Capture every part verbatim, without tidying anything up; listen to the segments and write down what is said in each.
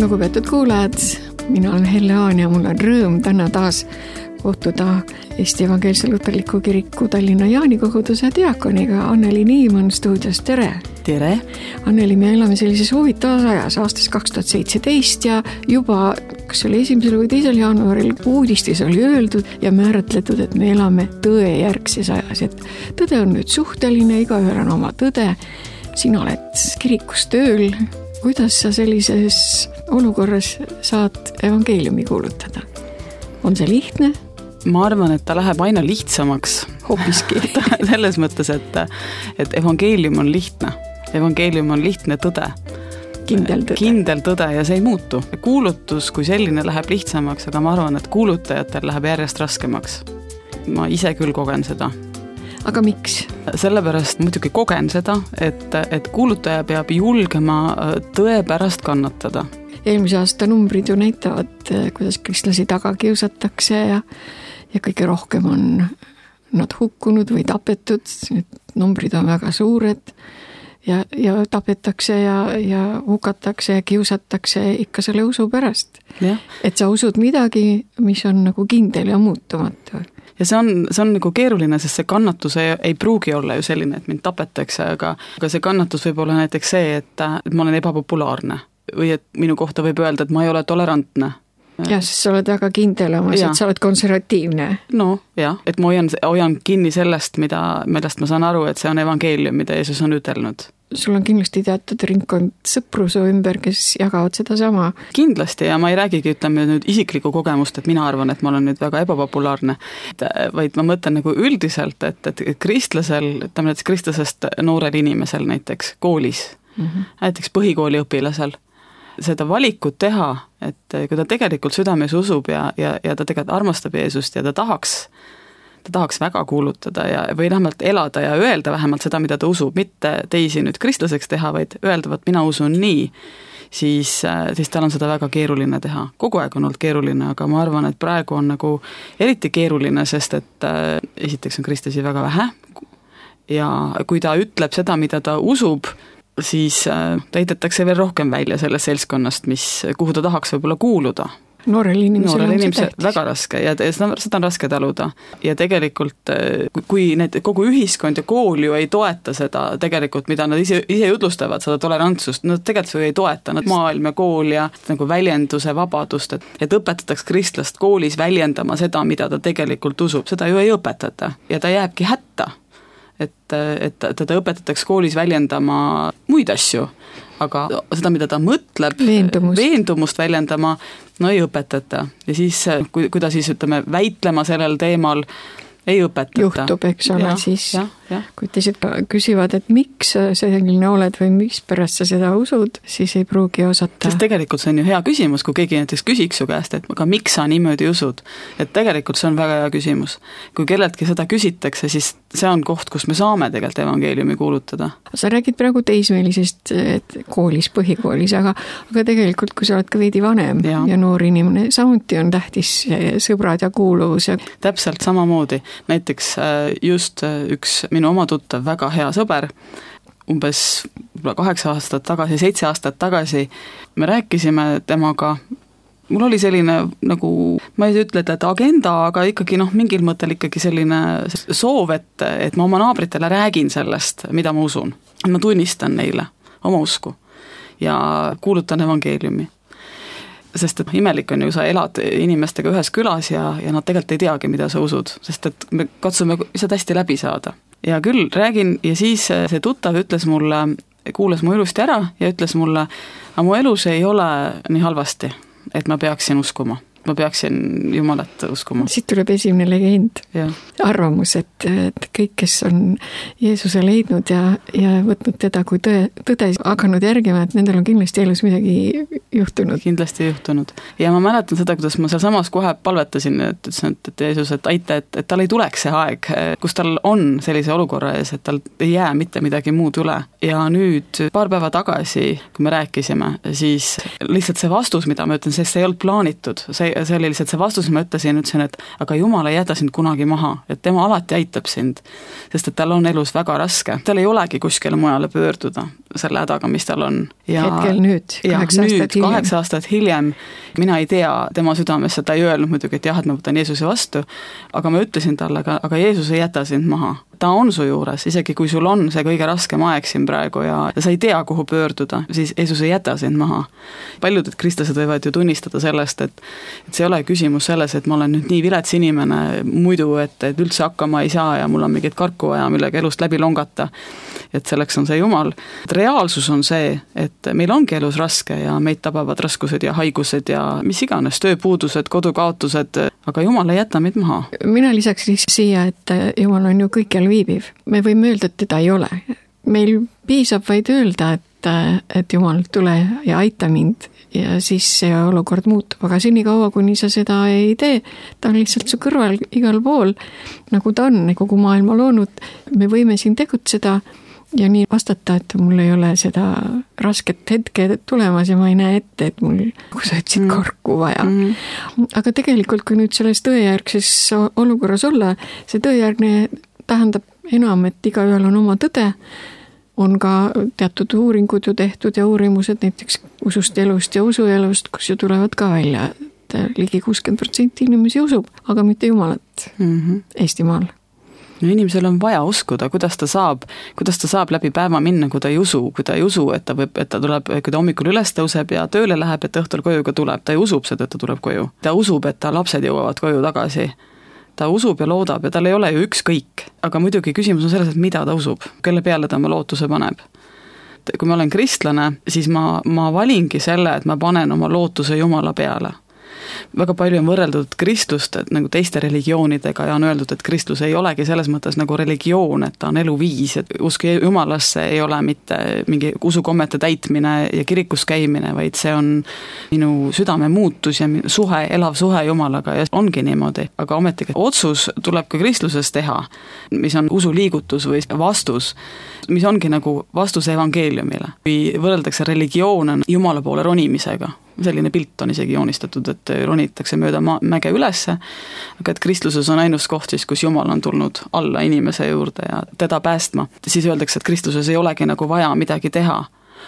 Lugupeetud kuulajad, mina olen Helle Haan ja mul on rõõm täna taas kohtuda Eesti Evangeelse Luterliku Kiriku Tallinna Jaanikohutuse diakoniga Anneli Niimann stuudios. Tere! Tere! Anneli, me elame sellises huvitavas ajas aastast kaks tuhat seitseteist ja juba, kas oli esimesel või teisel jaanuaril uudistis oli öeldud ja määratletud, et me elame tõejärgses ajas. Et tõde on nüüd suhteline, igaühel on oma tõde. Sina oled kirikus tööl. Kuidas sa sellises olukorras saad evangeeliumi kuulutada? On see lihtne? Ma arvan, et ta läheb aina lihtsamaks. Hoopiski. Selles mõttes, et, et evangeelium on lihtne. Evangeelium on lihtne tõde. Kindel tõde. Kindel tõde ja see ei muutu. Kuulutus kui selline läheb lihtsamaks, aga ma arvan, et kuulutajatel läheb järjest raskemaks. Ma ise küll kogen seda. Aga miks? Sellepärast muidugi kogen seda, et, et kuulutaja peab julgema tõe pärast kannatada. Eelmise aasta numbrid ju näitavad, kuidas kristlasi taga kiusatakse ja, ja kõige rohkem on nad hukkunud või tapetud. Need numbrid on väga suured ja, ja tapetakse ja, ja hukatakse ja kiusatakse ikka selle usu pärast. Ja. Et sa usud midagi, mis on nagu kindel ja muutumatu. Ja see on, see on nagu keeruline, sest see kannatus ei, ei pruugi olla ju selline, et mind tapetakse, aga, aga see kannatus võib olla näiteks see, et, et ma olen ebapopulaarne või et minu kohta võib öelda, et ma ei ole tolerantne. Ja, sest sa oled väga kindel omas, et sa oled konservatiivne. No jah, et ma hoian, hoian kinni sellest, mida, millest ma saan aru, et see on evangeelium, mida Jeesus on ütelnud. Sul on kindlasti teatud ringkond sõpru su ümber, kes jagavad seda sama. Kindlasti ja ma ei räägigi, ütleme nüüd isiklikku kogemust, et mina arvan, et ma olen nüüd väga ebapopulaarne, vaid ma mõtlen nagu üldiselt, et, et kristlasel, ütleme näiteks kristlasest noorel inimesel näiteks koolis, mm-hmm. näiteks põhikooli õpilasel, seda valikut teha, et kui ta tegelikult südames usub ja, ja, ja ta tegelikult armastab Jeesust ja ta tahaks, ta tahaks väga kuulutada ja, või vähemalt elada ja öelda vähemalt seda, mida ta usub, mitte teisi nüüd kristlaseks teha, vaid öelda, et mina usun nii, siis, siis tal on seda väga keeruline teha. Kogu aeg on olnud keeruline, aga ma arvan, et praegu on nagu eriti keeruline, sest et äh, esiteks on kristlasi väga vähe ja kui ta ütleb seda, mida ta usub, siis täidetakse veel rohkem välja sellest seltskonnast, mis, kuhu ta tahaks võib-olla kuuluda. Noorel inimesel Noorel on inimesel see tähtis. Väga raske ja seda, seda on raske taluda. Ja tegelikult, kui need, kogu ühiskond ja kool ju ei toeta seda tegelikult, mida nad ise, ise jutlustavad, seda tolerantsust, nad tegelikult ju ei toeta, nad maailm ja kool ja nagu väljenduse vabadust, et, et õpetataks kristlast koolis väljendama seda, mida ta tegelikult usub, seda ju ei õpetata ja ta jääbki hätta. Et, et teda õpetatakse koolis väljendama muid asju, aga seda, mida ta mõtleb, veendumust, veendumust väljendama, no ei õpetata. Ja siis, kui, kui ta siis ütleme, väitlema sellel teemal, ei õpetata. Juhtub, eks ole, ja, siis ja, ja. Kui teised küsivad, et miks sa selline oled või miks pärast sa seda usud, siis ei pruugi osata. Sest tegelikult see on ju hea küsimus, kui keegi näiteks küsiks su käest, et aga miks sa niimoodi usud? Et tegelikult see on väga hea küsimus. Kui kelletki seda küsitakse, siis see on koht, kus me saame tegelikult evangeeliumi kuulutada. Sa räägid praegu teismeelisest koolis, põhikoolis, aga, aga tegelikult, kui sa oled ka veidi vanem ja, ja noor inimene, samuti on tähtis sõbrad ja kuuluvus. Ja... Täpselt samamoodi. Näiteks just üks minu oma tuttav väga hea sõber, umbes kaheksa aastat tagasi, seitse aastat tagasi, me rääkisime temaga, mul oli selline nagu, ma ei ütle, et agenda, aga ikkagi noh, mingil mõttel ikkagi selline soov, et, et ma oma naabritele räägin sellest, mida ma usun. Ma tunnistan neile oma usku ja kuulutan evangeeliumi. Sest et imelik on ju, sa elad inimestega ühes külas ja, ja nad tegelikult ei teagi, mida sa usud, sest et me katsume lihtsalt hästi läbi saada. Ja küll räägin ja siis see tuttav ütles mulle, kuulas mu ilusti ära ja ütles mulle, aga mu elus ei ole nii halvasti, et ma peaksin uskuma. Ma peaksin Jumalat uskuma. Siit tuleb esimene legend. Ja. Arvamus, et, et kõik, kes on Jeesuse leidnud ja, ja võtnud teda kui tõe, tõde hakanud järgima, et nendel on kindlasti elus midagi juhtunud. Kindlasti juhtunud. Ja ma mäletan seda, kuidas ma seal samas kohe palvetasin, et ütlesin, et, et Jeesus, et aita, et, et tal ei tuleks see aeg, kus tal on sellise olukorra ees, et tal ei jää mitte midagi muud üle. Ja nüüd paar päeva tagasi, kui me rääkisime, siis lihtsalt see vastus, mida ma ütlen, sest see ei olnud plaanitud, see see oli lihtsalt see vastus, ma ütlesin, ütlesin, et aga Jumal ei jäta sind kunagi maha, et tema alati aitab sind, sest et tal on elus väga raske. Tal ei olegi kuskile mujale pöörduda selle hädaga, mis tal on. Ja, hetkel nüüd, kaheksa nüüd, aastat hiljem. kaheksa aastat hiljem, mina ei tea tema südamesse, ta ei öelnud muidugi, et jah, et ma võtan Jeesuse vastu, aga ma ütlesin talle, aga, aga Jeesus ei jäta sind maha. Ta on su juures, isegi kui sul on see kõige raskem aeg siin praegu ja, ja sa ei tea, kuhu pöörduda, siis Jeesus ei jäta sind maha. Paljud kristlased võivad ju tunnistada sellest, et, et see ei ole küsimus selles, et ma olen nüüd nii vilets inimene muidu, et, et üldse hakkama ei saa ja mul on mingit karku vaja, millega elust läbi longata. Et selleks on see Jumal. Reaalsus on see, et meil ongi elus raske ja meid tabavad raskused ja haigused ja mis iganes, tööpuudused, kodukaotused, aga Jumal ei jäta meid maha. Mina lisaks siia, et Jumal on ju kõikjal viibiv. Me võime öelda, et teda ei ole. Meil piisab vaid öelda, et, et Jumal, tule ja aita mind ja siis see olukord muutub. Aga seni kaua, kuni sa seda ei tee, ta on lihtsalt su kõrval igal pool, nagu ta on kogu maailma loonud. Me võime siin tegutseda ja nii vastata, et mul ei ole seda rasket hetke tulemas ja ma ei näe ette, et mul, kui sa ütlesid, korku vaja. Mm. Aga tegelikult, kui nüüd selles tõejärgses olukorras olla, see tõejärgne tähendab enam, et igaühel on oma tõde, on ka teatud uuringud ju tehtud ja uurimused näiteks usust elust ja usuelust, kus ju tulevad ka välja, et ligi kuuskümmend protsenti inimesi usub, aga mitte Jumalat mm-hmm. Eestimaal. No inimesel on vaja uskuda, kuidas ta saab, kuidas ta saab läbi päeva minna, kui ta ei usu, kui ta ei usu, et ta võib, et ta tuleb, kui ta hommikul üles tõuseb ja tööle läheb, et õhtul koju ka tuleb, ta ei usub seda, et ta tuleb koju. Ta usub, et ta lapsed jõuavad koju tagasi. Ta usub ja loodab ja tal ei ole ju ükskõik, aga muidugi küsimus on selles, et mida ta usub, kelle peale ta oma lootuse paneb. Kui ma olen kristlane, siis ma, ma valingi selle, et ma panen oma lootuse Jumala peale. Väga palju on võrreldud kristlust et nagu teiste religioonidega ja on öeldud, et kristlus ei olegi selles mõttes nagu religioon, et ta on eluviis, et usk Jumalasse ei ole mitte mingi usukommete täitmine ja kirikus käimine, vaid see on minu südame muutus ja suhe, elav suhe Jumalaga ja ongi niimoodi. Aga ometigi otsus tuleb ka kristluses teha, mis on usuliigutus või vastus, mis ongi nagu vastus evangeeliumile. Kui võrreldakse religioon Jumala poole ronimisega, selline pilt on isegi joonistatud, et ronitakse mööda ma- mäge ülesse, aga et kristluses on ainus koht siis, kus Jumal on tulnud alla inimese juurde ja teda päästma. Siis öeldakse, et kristluses ei olegi nagu vaja midagi teha.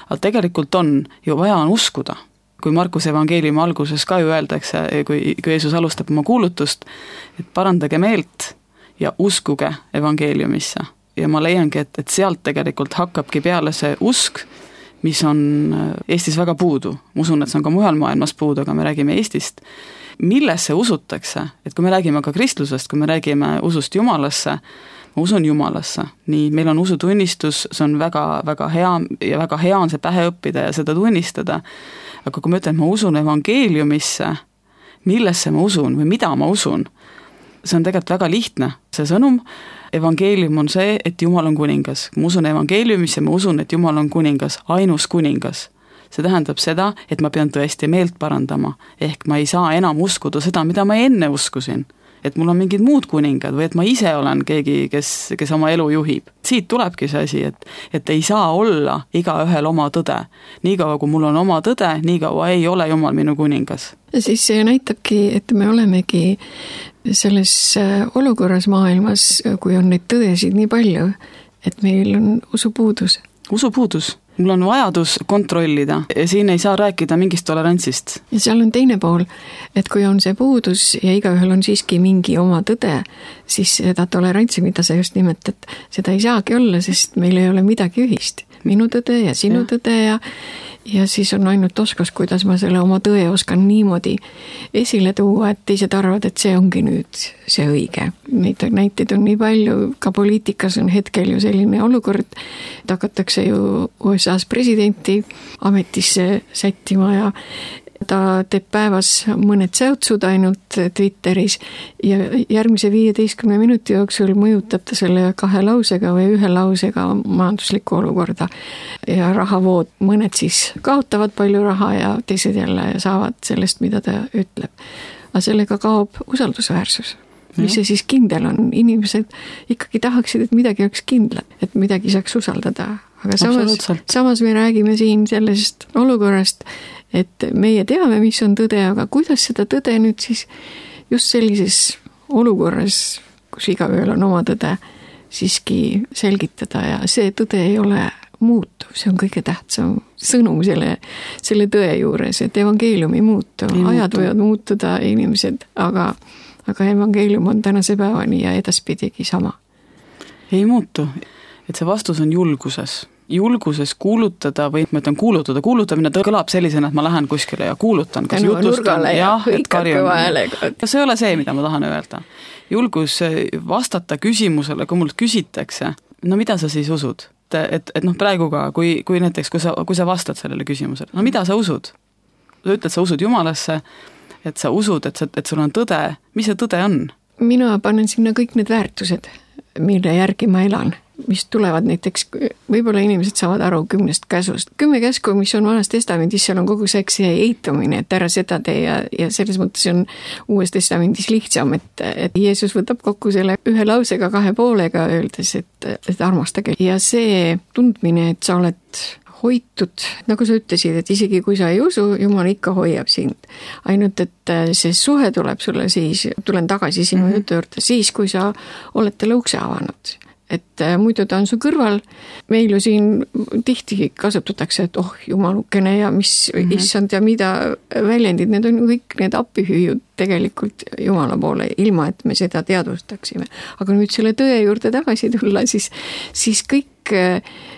Aga tegelikult on ju vaja on uskuda. Kui Markuse evangeeliumi alguses ka ju öeldakse, kui, kui Jeesus alustab oma kuulutust, et parandage meelt ja uskuge evangeeliumisse. Ja ma leiangi, et, et sealt tegelikult hakkabki peale see usk, mis on Eestis väga puudu. Ma usun, et see on ka mujal maailmas puudu, aga me räägime Eestist. Millesse usutakse? Et kui me räägime ka kristlusest, kui me räägime usust Jumalasse, ma usun Jumalasse. Nii, meil on usutunnistus, see on väga, väga hea ja väga hea on see pähe õppida ja seda tunnistada. Aga kui ma ütlen, et ma usun evangeeliumisse, millesse ma usun või mida ma usun, see on tegelikult väga lihtne. See sõnum, evangeelium on see, et Jumal on kuningas. Ma usun evangeeliumisse, ma usun, et Jumal on kuningas, ainus kuningas. See tähendab seda, et ma pean tõesti meelt parandama. Ehk ma ei saa enam uskuda seda, mida ma enne uskusin. Et mul on mingid muud kuningad või et ma ise olen keegi, kes, kes oma elu juhib. Siit tulebki see asi, et, et ei saa olla iga ühel oma tõde. Niikaua, kui mul on oma tõde, niikaua ei ole Jumal minu kuningas. Ja siis see näitabki, et me olemegi selles olukorras maailmas, kui on neid tõdesid nii palju, et meil on usupuudus. Usupuudus. Mul on vajadus kontrollida ja siin ei saa rääkida mingist tolerantsist. Ja seal on teine pool, et kui on see puudus ja igaühel on siiski mingi oma tõde, siis seda tolerantsi, mida sa just nimetad, seda ei saagi olla, sest meil ei ole midagi ühist. Minu tõde ja sinu ja. tõde ja, ja siis on ainult oskus, kuidas ma selle oma tõe oskan niimoodi esile tuua, et teised arvad, et see ongi nüüd see õige. Neid näiteid on nii palju, ka poliitikas on hetkel ju selline olukord, et hakatakse ju U S A-s presidenti ametisse sättima ja ta teeb päevas mõned säutsud ainult Twitteris ja järgmise viieteistkümne minuti jooksul mõjutab ta selle kahe lausega või ühe lausega majanduslikku olukorda. Ja rahavood, mõned siis kaotavad palju raha ja teised jälle saavad sellest, mida ta ütleb. Aga sellega kaob usaldusväärsus. Mis see siis kindel on? Inimesed ikkagi tahaksid, et midagi oleks kindlad, et midagi saaks usaldada. Aga samas, samas me räägime siin sellest olukorrast, et meie teame, mis on tõde, aga kuidas seda tõde nüüd siis just sellises olukorras, kus igaühel on oma tõde, siiski selgitada ja see tõde ei ole muutuv, see on kõige tähtsam sõnum selle, selle tõe juures, et evangeelium ei muutu, ei ajad muutu. Võivad muutuda inimesed, aga, aga evangeelium on tänase päevani ja edaspidigi sama. Ei muutu, et see vastus on julguses. Julguses kuulutada või ma ütlen kuulutada, kuulutamine kõlab sellisena, et ma lähen kuskile ja kuulutan, kas Tänu jutustan, ja, jah, et karjun. See ei ole see, mida ma tahan öelda. Julgus vastata küsimusele, kui mult küsitakse, no mida sa siis usud? Et, et noh, praegu ka, kui, kui näiteks, kui sa, kui sa vastad sellele küsimusele, no mida sa usud? Sa ütled, sa usud Jumalasse, et sa usud, et, sa, et sul on tõde. Mis see tõde on? Mina panen sinna kõik need väärtused, mille järgi ma elan, mis tulevad näiteks, võib-olla inimesed saavad aru kümnest käsust. Kümme käsku, mis on vanas testamendis, seal on kogu see eitamine, et ära seda tee ja, ja selles mõttes on uues testamendis lihtsam, et, et Jeesus võtab kokku selle ühe lausega kahe poolega, öeldes, et, et armastage. Ja see tundmine, et sa oled hoitud, nagu sa ütlesid, et isegi kui sa ei usu, Jumal ikka hoiab sind. Ainult, et see suhe tuleb sulle siis, tulen tagasi sinu mm-hmm. jutu juurde, siis kui sa oled talle ukse avanud. Et muidu ta on su kõrval, meil ju siin tihti kasutatakse, et oh, jumalukene ja mis mm-hmm. issand ja mida väljendid, need on kõik need appihüüjud tegelikult Jumala poole, ilma et me seda teadvustaksime. Aga nüüd selle tõe juurde tagasi tulla, siis, siis kõik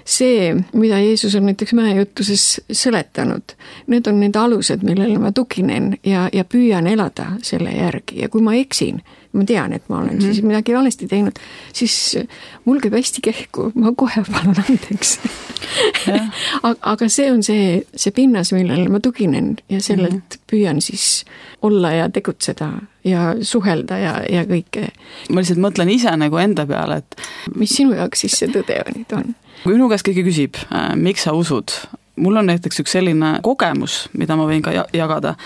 see, mida Jeesus on näiteks mäejutuses seletanud, need on need alused, millele ma tuginen ja, ja püüan elada selle järgi. Ja kui ma eksin, ma tean, et ma olen mm-hmm. siis midagi valesti teinud, siis mul käib hästi kehku, ma kohe palun andeks. Aga see on see, see pinnas, millele ma tuginen ja sellelt mm-hmm. püüan siis olla ja tegutseda ja suhelda ja, ja kõike. Ma lihtsalt mõtlen ise nagu enda peale, et mis sinu jaoks siis see tõde nüüd on? Kui minu käest keegi küsib, miks sa usud? Mul on näiteks üks selline kogemus, mida ma võin ka jagada,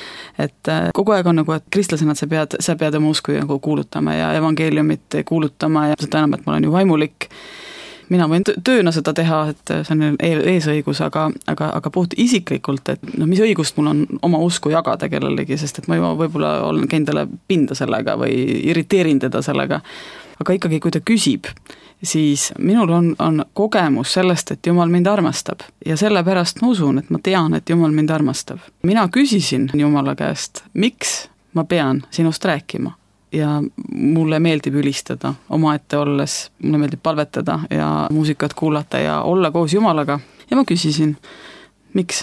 et kogu aeg on nagu, et kristlasena sa pead, sa pead oma usku nagu kuulutama ja evangeeliumit kuulutama ja seda enam, et ma olen ju vaimulik. Mina võin tööna seda teha, et see on eesõigus, aga, aga, aga puht isiklikult, et no, mis õigust mul on oma usku jagada kellelegi, sest et ma juba võib-olla olen käinud talle pinda sellega või irriteerin teda sellega. Aga ikkagi, kui ta küsib, siis minul on, on kogemus sellest, et Jumal mind armastab. Ja sellepärast ma usun, et ma tean, et Jumal mind armastab. Mina küsisin Jumala käest, miks ma pean sinust rääkima? Ja mulle meeldib ülistada omaette olles, mulle meeldib palvetada ja muusikat kuulata ja olla koos Jumalaga. Ja ma küsisin, miks?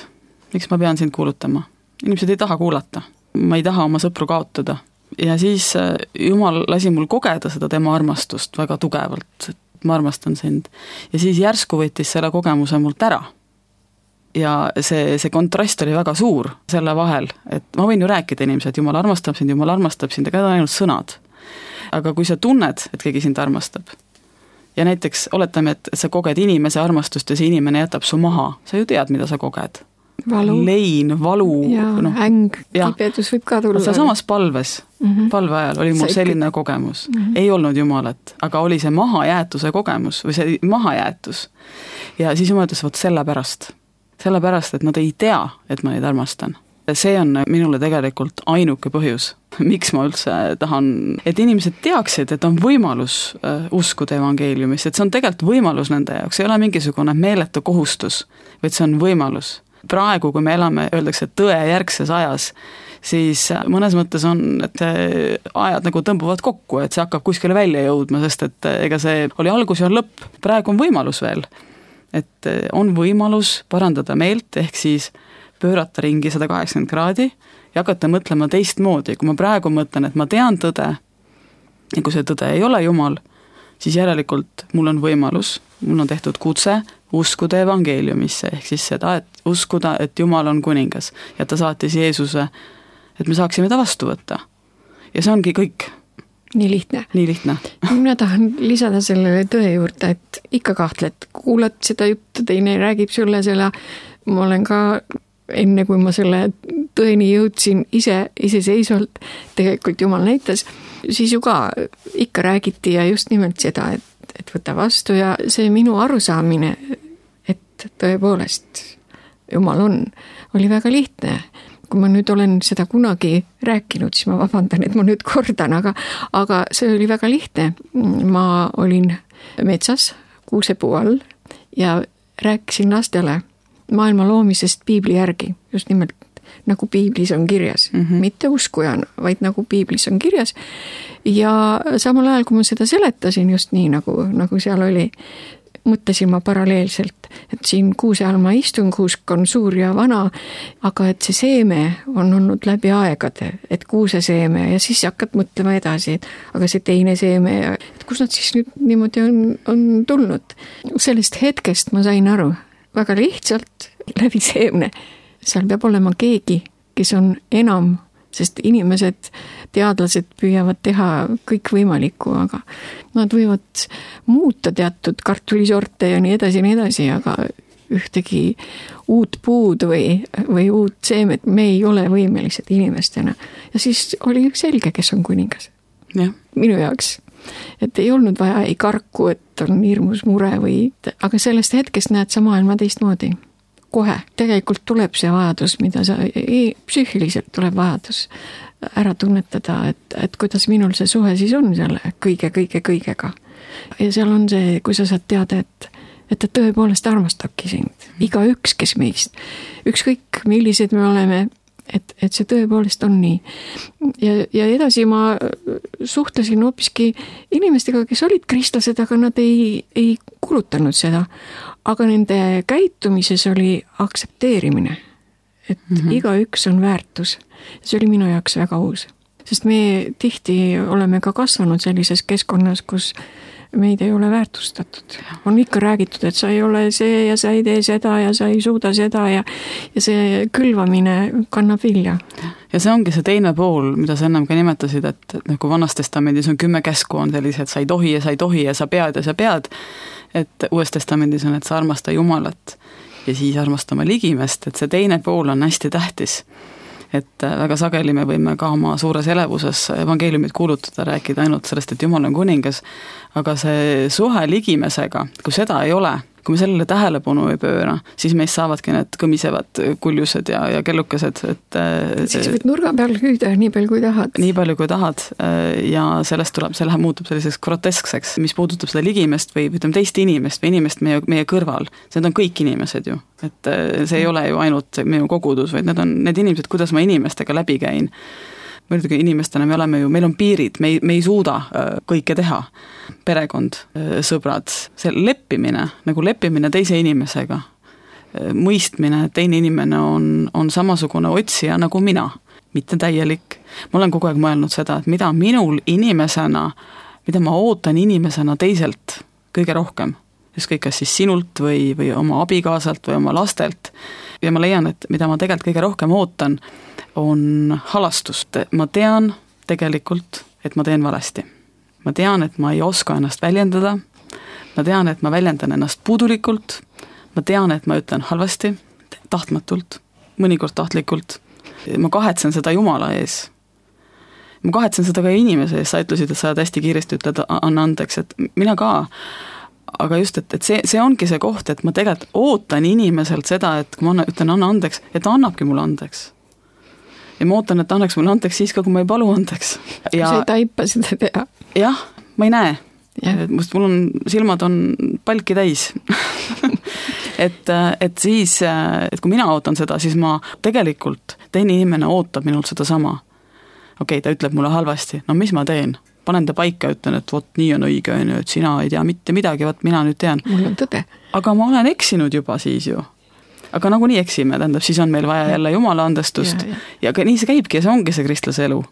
Miks ma pean sind kuulutama? Inimesed ei taha kuulata. Ma ei taha oma sõpru kaotada. Ja siis Jumal lasi mul kogeda seda tema armastust väga tugevalt. Ma armastan sind. Ja siis järsku võttis selle kogemuse mult ära. Ja see, see kontrast oli väga suur selle vahel, et ma võin ju rääkida inimesed, Jumal armastab sind, Jumal armastab sind, aga need on ainult sõnad. Aga kui sa tunned, et keegi sind armastab ja näiteks oletame, et sa koged inimese armastust ja see inimene jätab su maha, sa ju tead, mida sa koged. Valu. Lein, valu. Ja no, äng, kibedus võib ka tulla. Sa samas palves, mm-hmm. palve ajal oli mul selline kogemus. Mm-hmm. Ei olnud Jumalat, aga oli see mahajäätuse kogemus või see mahajäätus. Ja siis Jumal ütles, võt selle pärast. Sellepärast, et nad ei tea, et ma neid armastan. See on minule tegelikult ainuke põhjus, miks ma üldse tahan, et inimesed teaksid, et on võimalus uskuda evangeeliumist, et see on tegelikult võimalus nende jaoks, ei ole mingisugune meeletu kohustus, vaid see on võimalus. Praegu, kui me elame, öeldakse tõe järgses ajas, siis mõnes mõttes on, et ajad nagu tõmbuvad kokku, et see hakkab kuskile välja jõudma, sest et ega see oli algus ja on lõpp. Praegu on võimalus veel, et on võimalus parandada meelt, ehk siis pöörata ringi sada kaheksakümmend kraadi ja hakata mõtlema teistmoodi. Kui ma praegu mõtlen, et ma tean tõde ja kui see tõde ei ole Jumal, siis järelikult mul on võimalus, mul on tehtud kutse uskuda evangeeliumisse, ehk siis seda, et uskuda, et Jumal on kuningas ja ta saatis Jeesuse, et me saaksime ta vastu võtta. Ja see ongi kõik. Nii lihtne. Nii lihtne. Mina tahan lisada sellele tõe juurde, et ikka kahtled, kuulad seda juttu, teine räägib sulle selle, ma olen ka enne, kui ma selle tõeni jõudsin ise, iseseisvalt, tegelikult Jumal näitas, siis ju ka ikka räägiti ja just nimelt seda, et, et võta vastu ja see minu arusaamine, et tõepoolest Jumal on, oli väga lihtne. Kui ma nüüd olen seda kunagi rääkinud, siis ma vabandan, et ma nüüd kordan, aga, aga see oli väga lihtne. Ma olin metsas kuusepuu all ja rääkisin lastele maailma loomisest piibli järgi, just nimelt nagu piiblis on kirjas, mm -hmm. mitte uskujana, vaid nagu piiblis on kirjas. Ja samal ajal, kui ma seda seletasin just nii, nagu, nagu seal oli, mõtlesin ma paralleelselt, et siin kuuse all ma istun, kuusk on suur ja vana, aga et see seeme on olnud läbi aegade, et kuuse seeme ja siis hakkad mõtlema edasi, et aga see teine seeme ja et kus nad siis nüüd niimoodi on, on tulnud. Sellest hetkest ma sain aru, väga lihtsalt läbi seemne. Seal peab olema keegi, kes on enam, sest inimesed, teadlased püüavad teha kõik võimalikku, aga nad võivad muuta teatud kartulisorte ja nii edasi ja nii edasi, aga ühtegi uut puud või, või uut seemet me ei ole võimelised inimestena. Ja siis oli selge, kes on kuningas. Ja. Minu jaoks. Et ei olnud vaja ei karku, et on hirmus mure või, aga sellest hetkest näed sa maailma teistmoodi. Kohe. Tegelikult tuleb see vajadus, mida sa, ei, psüühiliselt tuleb vajadus ära tunnetada, et, et kuidas minul see suhe siis on selle kõige, kõige, kõigega. Ja seal on see, kui sa saad teada, et, et ta tõepoolest armastabki sind. Iga üks, kes meist. Ükskõik, millised me oleme, et, et see tõepoolest on nii. Ja, ja edasi ma suhtlesin hoopiski inimestega, kes olid kristlased, aga nad ei, ei kulutanud seda. Aga nende käitumises oli aktsepteerimine, et mm-hmm. iga üks on väärtus. See oli minu jaoks väga uus. Sest me tihti oleme ka kasvanud sellises keskkonnas, kus meid ei ole väärtustatud. On ikka räägitud, et sa ei ole see ja sa ei tee seda ja sa ei suuda seda ja, ja see külvamine kannab vilja. Ja see ongi see teine pool, mida sa ennem ka nimetasid, et nagu Vanas Testamendis on kümme käsku on sellised, sa ei tohi ja sa ei tohi ja sa pead ja sa pead. Et Uues Testamendis on, et sa armasta Jumalat ja siis armastama ligimest, et see teine pool on hästi tähtis. Et väga sageli me võime ka oma suures elevuses evangeeliumit kuulutada, rääkida ainult sellest, et Jumal on kuningas, aga see suhe ligimesega, kui seda ei ole, kui me sellele tähelepanu ei pööra, siis meist saavadki need kõmisevad kuljused ja, ja kellukesed. Et, siis võid nurga peal hüüda nii palju kui tahad. Nii palju kui tahad ja sellest tuleb, see läheb muutub selliseks groteskseks, mis puudutab seda ligimest või ütleme teist inimest või inimest meie, meie kõrval. Need on kõik inimesed ju, et see ei ole ju ainult minu kogudus, vaid need on need inimesed, kuidas ma inimestega läbi käin. Mõeldugi inimestena me oleme ju, meil on piirid, me ei, me ei suuda kõike teha. Perekond, sõbrad, see leppimine, nagu leppimine teise inimesega, mõistmine, et teine inimene on, on samasugune otsija nagu mina, mitte täielik. Ma olen kogu aeg mõelnud seda, et mida minul inimesena, mida ma ootan inimesena teiselt kõige rohkem, ükskõik kas siis sinult või, või oma abikaasalt või oma lastelt. Ja ma leian, et mida ma tegelikult kõige rohkem ootan, on halastust. Ma tean tegelikult, et ma teen valesti. Ma tean, et ma ei oska ennast väljendada. Ma tean, et ma väljendan ennast puudulikult. Ma tean, et ma ütlen halvasti, tahtmatult, mõnikord tahtlikult. Ma kahetsen seda Jumala ees. Ma kahetsen seda ka inimese ees. Sa ütlesid, et sa hästi kiiresti ütled, anna andeks, et mina ka. Aga just, et, et see, see ongi see koht, et ma tegelikult ootan inimeselt seda, et kui ma ütlen anna andeks, et ta annabki mulle andeks. Ja ma ootan, et ta annaks mulle andeks siis ka, kui ma ei palu andeks. Ja, sa ei taipa seda teha. Jah, ma ei näe. Must mul on, silmad on palki täis. et, et siis, et kui mina ootan seda, siis ma tegelikult, teine inimene ootab minult seda sama. Okei, ta ütleb mulle halvasti. No mis ma teen? Panen ta paika, ütlen, et vot nii on õige, et sina ei tea mitte midagi, vot mina nüüd tean. Mul on tõde. Aga ma olen eksinud juba siis ju. Aga nagu nii eksime, tähendab, siis on meil vaja jälle Jumala andestust. Ja, ja. ja nii see käibki ja see ongi see kristlase elu.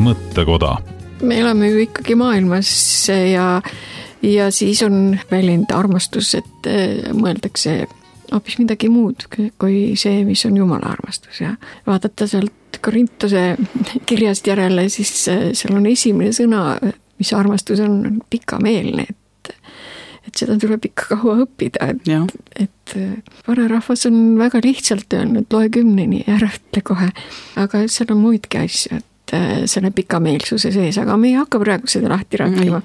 mõttekoda. Me elame ju ikkagi maailmas ja, ja siis on väljend armastus, et mõeldakse hoopis midagi muud kui see, mis on Jumala armastus ja vaadata sealt Korintuse kirjast järele, siis seal on esimene sõna, mis armastus on, on pikameelne, et, et seda tuleb ikka kaua õppida, et, et vanarahvas on väga lihtsalt öelnud, loe kümneni ja ära ütle kohe, aga seal on muidki asju, et selle pikameelsuse sees, aga me ei hakka praegu seda lahti rääkima.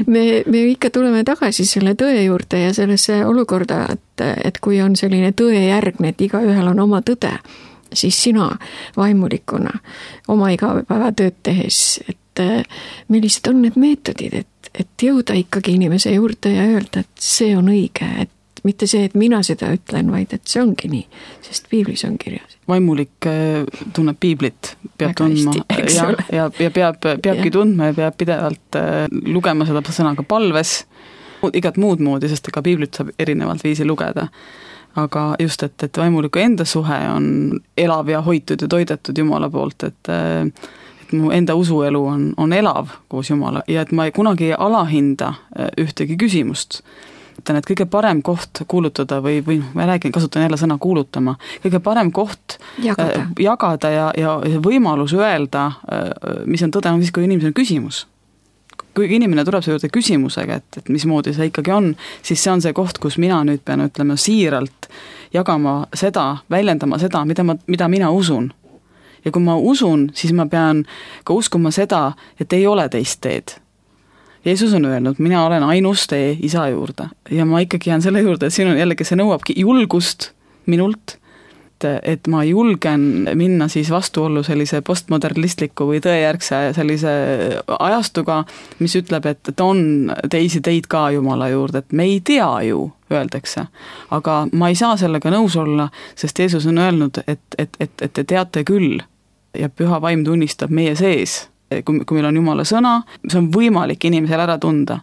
Me, me ikka tuleme tagasi selle tõe juurde ja sellesse olukorda, et, et kui on selline tõe järgne, et igaühel on oma tõde, siis sina vaimulikuna oma igapäevatööd tehes, et millised on need meetodid, et, et jõuda ikkagi inimese juurde ja öelda, et see on õige, et mitte see, et mina seda ütlen, vaid et see ongi nii, sest piiblis on kirjas. Vaimulik tunneb piiblit, peab väga tundma hästi, ja, ja, ja peab, peabki ja. tundma ja peab pidevalt lugema seda sõnaga palves, igat muud moodi, sest ega piiblit saab erinevalt viisi lugeda. Aga just, et, et vaimuliku enda suhe on elav ja hoitud ja toidetud Jumala poolt, et, et mu enda usuelu on, on elav koos Jumala ja et ma ei kunagi ei alahinda ühtegi küsimust. Et kõige parem koht kuulutada või, või ma räägin, kasutan jälle sõna kuulutama, kõige parem koht jagada, äh, jagada ja, ja võimalus öelda, äh, mis on tõde, on siis, kui inimesel on küsimus. Kui inimene tuleb see juurde küsimusega, et, et mismoodi see ikkagi on, siis see on see koht, kus mina nüüd pean ütlema siiralt jagama seda, väljendama seda, mida, ma, mida mina usun. Ja kui ma usun, siis ma pean ka uskuma seda, et ei ole teist teed. Jeesus on öelnud, mina olen ainus tee isa juurde ja ma ikkagi jään selle juurde, et siin on jällegi, see nõuabki julgust minult, et, et ma julgen minna siis vastuollu sellise postmodernistliku või tõejärgse sellise ajastuga, mis ütleb, et, et on teisi teid ka Jumala juurde, et me ei tea ju, öeldakse, aga ma ei saa sellega nõus olla, sest Jeesus on öelnud, et, et, et, et te teate küll ja püha vaim tunnistab meie sees. Kui, kui meil on Jumala sõna, see on võimalik inimesel ära tunda.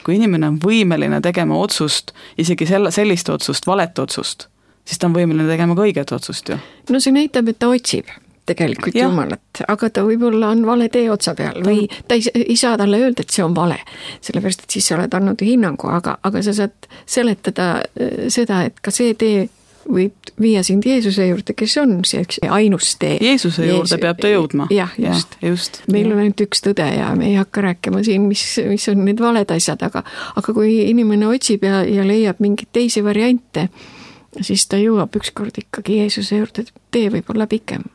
Kui inimene on võimeline tegema otsust, isegi selle, sellist otsust, valet otsust, siis ta on võimeline tegema ka õiget otsust ju. No see näitab, et ta otsib tegelikult ja. Jumalat, aga ta võib-olla on vale tee otsa peal või ta ei, ei saa talle öelda, et see on vale, sellepärast, et siis sa oled andnud hinnangu, aga, aga sa saad seletada seda, et ka see tee võib viia sind Jeesuse juurde, kes on see ainus tee. Jeesuse juurde Jeesus... peab ta jõudma. Jah, just. Ja, just. Meil on ainult üks tõde ja me ei hakka rääkima siin, mis, mis on need valed asjad, aga, aga kui inimene otsib ja, ja leiab mingeid teisi variante, siis ta jõuab ükskord ikkagi Jeesuse juurde, tee võib olla pikem.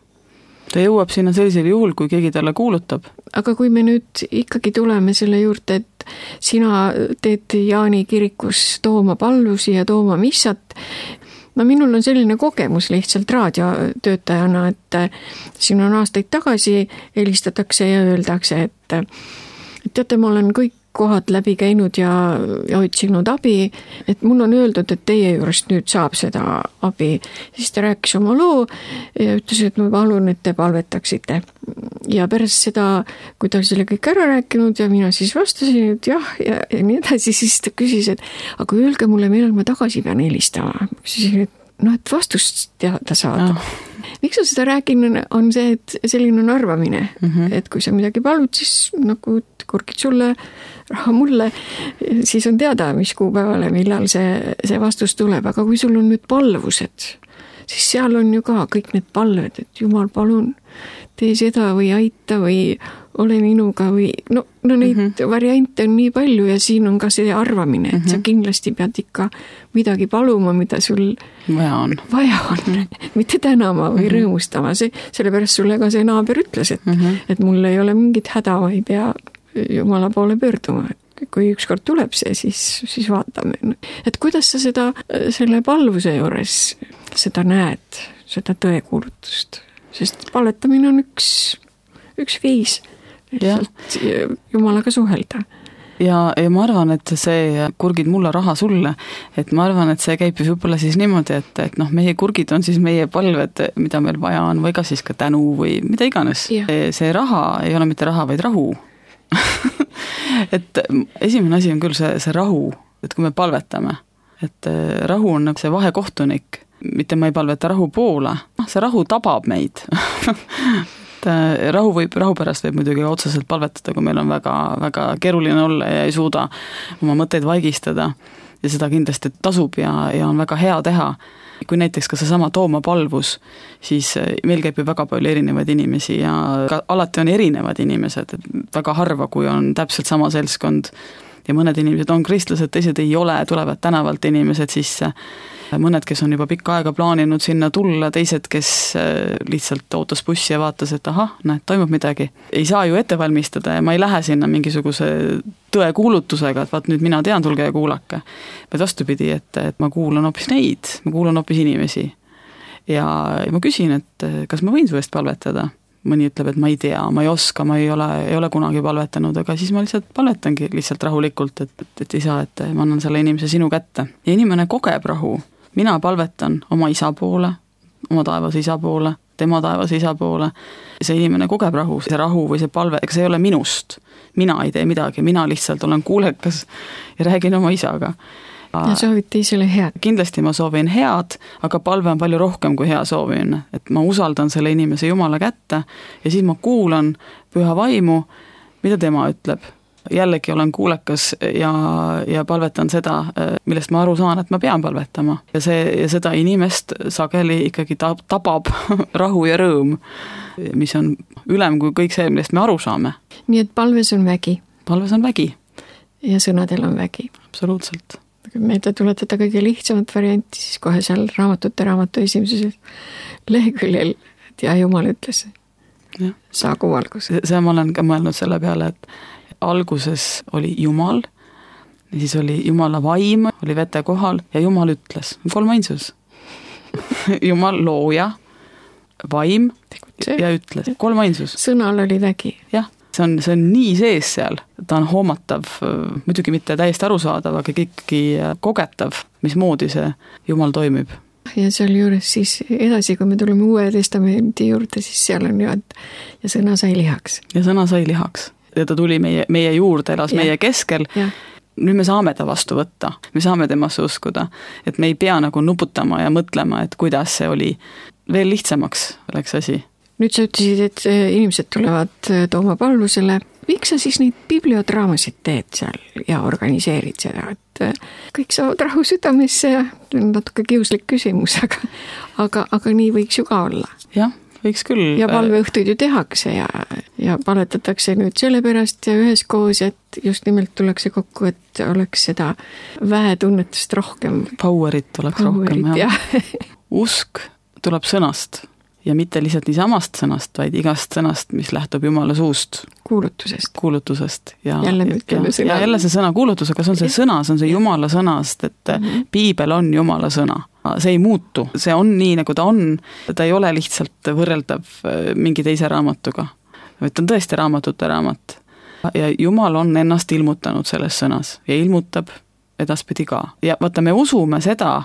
Ta jõuab sinna sellisel juhul, kui keegi talle kuulutab. Aga kui me nüüd ikkagi tuleme selle juurde, et sina teed Jaani kirikus tooma pallusi ja tooma missat, no minul on selline kogemus lihtsalt raadiotöötajana, et siin on aastaid tagasi helistatakse ja öeldakse, et, et teate, ma olen kõik kohad läbi käinud ja, ja otsinud abi, et mul on öeldud, et teie juurest nüüd saab seda abi. Siis ta rääkis oma loo ja ütles, et ma palun, et te palvetaksite. Ja pärast seda, kui ta oli selle kõik ära rääkinud ja mina siis vastasin, et jah, ja, ja nii edasi, siis ta küsis, et aga öelge mulle, millal ma tagasi pean helistama. Küsin, et noh, et vastust teada saada. Oh. Miks ma seda räägin, on see, et selline on arvamine, mm-hmm. et kui sa midagi palud, siis nagu kurgid sulle, raha mulle, siis on teada, mis kuupäevale, millal see, see vastus tuleb, aga kui sul on nüüd palvused, siis seal on ju ka kõik need palved, et Jumal, palun, tee seda või aita või ole minuga või no, no neid mm-hmm. variante on nii palju ja siin on ka see arvamine, et mm-hmm. sa kindlasti pead ikka midagi paluma, mida sul vaja on, vaja on. Mitte tänama või mm-hmm. rõõmustama, see, sellepärast sulle ka see naaber ütles, et, mm-hmm. et mul ei ole mingit häda, ma ei pea Jumala poole pöörduma, et kui ükskord tuleb see, siis, siis vaatame. Et kuidas sa seda, selle palvuse juures seda näed, seda tõekuulutust, sest palvetamine on üks, üks viis lihtsalt Jumalaga suhelda. Ja, ja ma arvan, et see kurgid mulle raha sulle, et ma arvan, et see käib võib-olla siis niimoodi, et, et noh, meie kurgid on siis meie palved, mida meil vaja on, või ka siis ka tänu või mida iganes. See raha ei ole mitte raha, vaid rahu. Et esimene asi on küll see, see rahu, et kui me palvetame, et rahu on nagu see vahekohtunik, mitte ma ei palveta rahu poole, see rahu tabab meid. et rahu võib, rahu pärast võib muidugi otseselt palvetada, kui meil on väga, väga keeruline olla ja ei suuda oma mõtteid vaigistada ja seda kindlasti tasub ja, ja on väga hea teha. Kui näiteks ka seesama Tooma palvus, siis meil käib ju väga palju erinevaid inimesi ja ka alati on erinevad inimesed, et väga harva, kui on täpselt sama seltskond ja mõned inimesed on kristlased, teised ei ole, tulevad tänavalt inimesed sisse, mõned, kes on juba pikka aega plaaninud sinna tulla, teised, kes lihtsalt ootas bussi ja vaatas, et ahah, näed, toimub midagi. Ei saa ju ette valmistada ja ma ei lähe sinna mingisuguse tõe kuulutusega, et vaat nüüd mina tean, tulge ja kuulake. Vaid vastupidi, et, et ma kuulan hoopis neid, ma kuulan hoopis inimesi. Ja, ja ma küsin, et kas ma võin su eest palvetada? Mõni ütleb, et ma ei tea, ma ei oska, ma ei ole, ei ole kunagi palvetanud, aga siis ma lihtsalt palvetangi lihtsalt rahulikult, et, et, et ei saa, et ma annan selle inimese sinu kätte. Ja inimene kogeb rahu. Mina palvetan oma isa poole, oma taevas isa poole, tema taevas isa poole. See inimene kogeb rahu, see rahu või see palve, ega see ei ole minust. Mina ei tee midagi, mina lihtsalt olen kuulekas ja räägin oma isaga. Ja soovid teisele head. Kindlasti ma soovin head, aga palve on palju rohkem kui hea soovimine. Et ma usaldan selle inimese Jumala kätte ja siis ma kuulan püha vaimu, mida tema ütleb. Jällegi olen kuulekas ja, ja palvetan seda, millest ma aru saan, et ma pean palvetama. Ja, see, ja seda inimest sageli ikkagi tabab rahu ja rõõm, mis on ülem kui kõik see, millest me aru saame. Nii et palves on vägi. Palves on vägi. Ja sõnadel on vägi. Absoluutselt. Meelde tuletada kõige lihtsamat varianti, siis kohe seal raamatute raamatu esimeses leheküljel, et ja Jumal ütles, ja. Saagu valgus. See ma olen ka mõelnud selle peale, et alguses oli Jumal, siis oli Jumala vaim, oli vete kohal ja Jumal ütles, kolmainsus. Jumal looja, vaim ja ütles, kolmainsus. Sõnal oli vägi. Jah, see on, see on nii sees seal, ta on hoomatav, muidugi mitte täiesti arusaadav, aga ikkagi kogetav, mismoodi see Jumal toimib. Ja seal juures siis edasi, kui me tuleme Uue Testamendi juurde, siis seal on ju, et ja sõna sai lihaks. Ja sõna sai lihaks. Ja ta tuli meie, meie juurde, elas ja. Meie keskel. Ja. Nüüd me saame ta vastu võtta, me saame temasse uskuda, et me ei pea nagu nuputama ja mõtlema, et kuidas see oli. Veel lihtsamaks oleks asi. Nüüd sa ütlesid, et inimesed tulevad Tooma palvusele. Miks sa siis neid bibliodraamasid teed seal ja organiseerid seda, et kõik saavad rahu südamesse ja natuke kiuslik küsimus, aga, aga, aga nii võiks ju ka olla. Jah, võiks küll. Ja palveõhtuid ju tehakse ja, ja palvetatakse nüüd selle pärast ja üheskoos, et just nimelt tullakse kokku, et oleks seda väetunnetust rohkem. Powerit oleks Powerit, rohkem. Ja. Usk tuleb sõnast ja mitte lihtsalt nii samast sõnast, vaid igast sõnast, mis lähtub Jumala suust. Kuulutusest. Kuulutusest. Ja, jälle me ütleme ja, sõna. Ja jälle see sõna kuulutus, aga see on see sõna, see on see Jumala sõnast, et mm-hmm. Piibel on Jumala sõna. See ei muutu, see on nii, nagu ta on, ta ei ole lihtsalt võrreldav mingi teise raamatuga. Et ta on tõesti raamatute raamat. Ja Jumal on ennast ilmutanud selles sõnas ja ilmutab edaspidi ka. Ja vaata, me usume seda,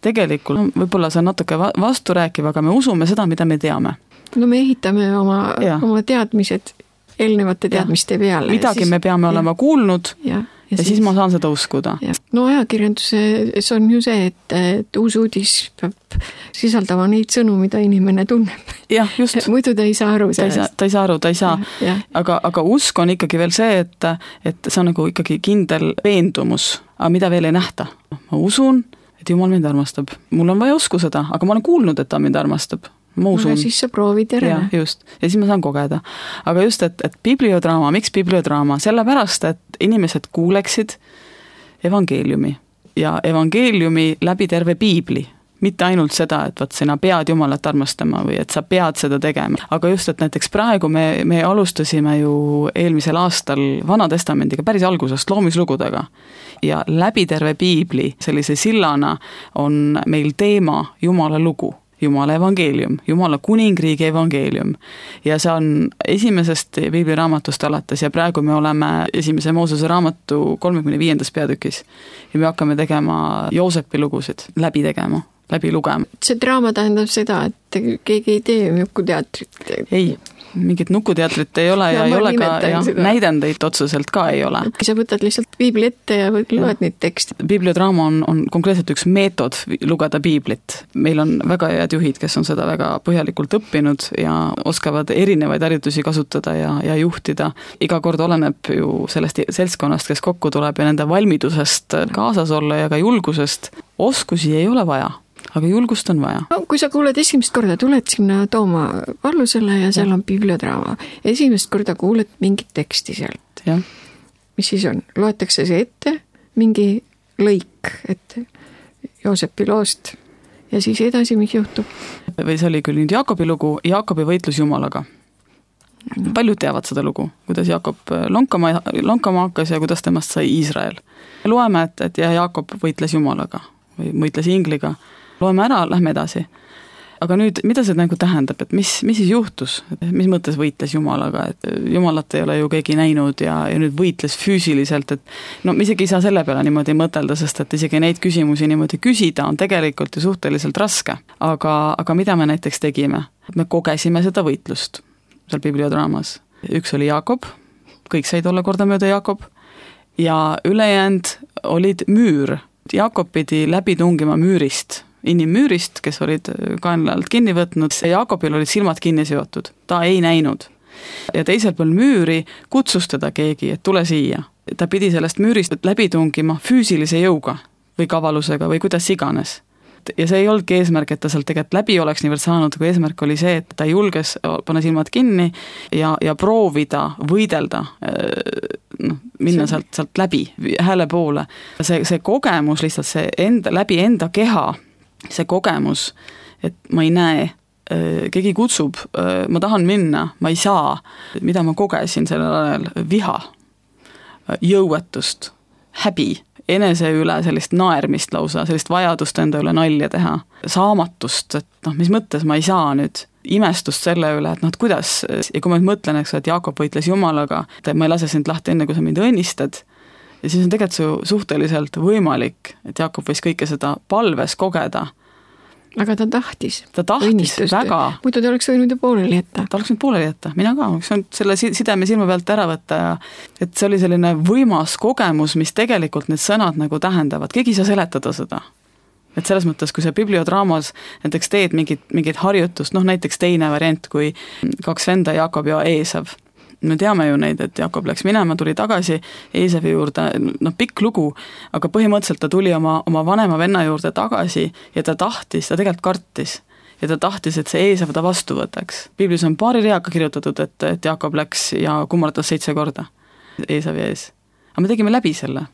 tegelikult, võib-olla see on natuke vasturääkiv, aga me usume seda, mida me teame. No me ehitame oma, oma teadmised eelnevate teadmiste ja. Peale. Midagi siis, me peame ja. Olema kuulnud ja, ja, ja siis, siis ma saan seda uskuda. Ja. No ajakirjanduses on ju see, et, et uus uudis peab sisaldama neid sõnu, mida inimene tunneb. Jah, just. Muidu ta ei saa aru sellest. Ta ei saa aru, ta ei saa. Ja, ja. Aga, aga usk on ikkagi veel see, et, et see on nagu ikkagi kindel veendumus, aga mida veel ei nähta. Ma usun, et Jumal mind armastab. Mul on vaja usku seda, aga ma olen kuulnud, et ta mind armastab. Ma usun. No, siis sa proovid järele. Ja, just. Ja siis ma saan kogeda. Aga just, et, et bibliodraama, miks bibliodraama? Sellepärast, et inimesed kuuleksid evangeeliumi. Ja evangeeliumi läbi terve Piibli. Mitte ainult seda, et vaat sina pead Jumalat armastama või et sa pead seda tegema. Aga just, et näiteks praegu me, me alustasime ju eelmisel aastal Vana Testamendiga päris algusest loomislugudega. Ja läbi terve Piibli sellise sillana on meil teema Jumala lugu. Jumala evangeelium, Jumala kuningriigi evangeelium. Ja see on esimesest Piibliraamatust alates ja praegu me oleme esimese Moosese raamatu kolmekümne viiendas peatükis. Ja me hakkame tegema Joosepi lugusid, läbi tegema, läbi lugema. See draama tähendab seda, et keegi ei tee mjuku teatrit. Ei, mingit nukuteatrit ei ole ja, ja ei ole ka ja, näidendeid otseselt ka ei ole. Sa võtad lihtsalt piibli ette ja loed neid tekste. Bibliodraama on, on konkreetselt üks meetod lugeda piiblit. Meil on väga head juhid, kes on seda väga põhjalikult õppinud ja oskavad erinevaid harjutusi kasutada ja, ja juhtida. Iga kord oleneb ju sellest seltskonnast, kes kokku tuleb ja nende valmidusest kaasas olla ja ka julgusest. Oskusi ei ole vaja. Aga julgust on vaja. No, kui sa kuuled esimest korda, tuled sinna Tooma vallusele ja seal on bibliodraama. Esimest korda kuuled mingit teksti sealt. Ja. Mis siis on? Loetakse see ette, mingi lõik, et Joosepi loost ja siis edasi, mis juhtub? Või see oli küll nüüd Jaakobi lugu, Jaakobi võitlus Jumalaga. No. Paljud teavad seda lugu, kuidas Jaakob lonkama, lonkama hakkas ja kuidas temast sai Iisrael. Loeme, et, et ja Jaakob võitles Jumalaga või võitles Ingliga. Loeme ära, lähme edasi. Aga nüüd, mida see nagu tähendab, et mis, mis siis juhtus? Mis mõttes võitles Jumalaga? Et Jumalat ei ole ju keegi näinud ja, ja nüüd võitles füüsiliselt, et no isegi ei saa selle peale niimoodi mõtelda, sest et isegi neid küsimusi niimoodi küsida on tegelikult ju suhteliselt raske. Aga, aga mida me näiteks tegime? Me kogesime seda võitlust seal bibliodraamas. Üks oli Jaakob, kõik said olla kordamööda Jaakob ja ülejäänud olid müür. Jaakob pidi läbi tungima müürist. Inimmüürist, kes olid kaenla alt kinni võtnud, Jaakobil olid silmad kinni seotud, ta ei näinud. Ja teisel pool müüri kutsus teda keegi, et tule siia. Ta pidi sellest müürist läbi tungima füüsilise jõuga või kavalusega või kuidas iganes. Ja see ei olnudki eesmärk, et ta sealt tegelikult läbi oleks niivõrd saanud, kui eesmärk oli see, et ta julges panna silmad kinni ja, ja proovida võidelda, no, minna sealt, sealt läbi hääle poole. See, see kogemus lihtsalt see enda, läbi enda keha, see kogemus, et ma ei näe, keegi kutsub, ma tahan minna, ma ei saa, mida ma kogesin sellel ajal, viha, jõuetust, häbi, enese üle sellist naermist lausa, sellist vajadust enda üle nalja teha, saamatust, et noh, mis mõttes ma ei saa nüüd, imestust selle üle, et noh, et kuidas, ja kui ma nüüd mõtlen, eks, et Jaakob võitles Jumalaga, et ma ei lase sind lahti enne, kui sa mind õnnistad, ja siis on tegelikult su suhteliselt võimalik, et Jaakob võis kõike seda palves kogeda. Aga ta tahtis. Ta tahtis õnnistuste. Väga. Muidu ta oleks võinud ju pooleli jätta. Ta oleks võinud pooleli jätta, mina ka, oleks võinud selle sideme silma pealt ära võtta ja et see oli selline võimas kogemus, mis tegelikult need sõnad nagu tähendavad. Keegi ei saa seletada seda. Et selles mõttes, kui sa bibliodraamas näiteks teed mingit, mingit harjutust, noh näiteks teine variant, kui kaks venda Jaakob ja Eesav. Me teame ju neid, et Jaakob läks minema, tuli tagasi Eesavi juurde, noh pikk lugu, aga põhimõtteliselt ta tuli oma, oma vanema venna juurde tagasi ja ta tahtis, ta tegelikult kartis ja ta tahtis, et see Eesav ta vastu võtaks. Biblis on paari reaga kirjutatud, et, et Jaakob läks ja kummardas seitse korda Eesavi ees. Aga me tegime läbi selle,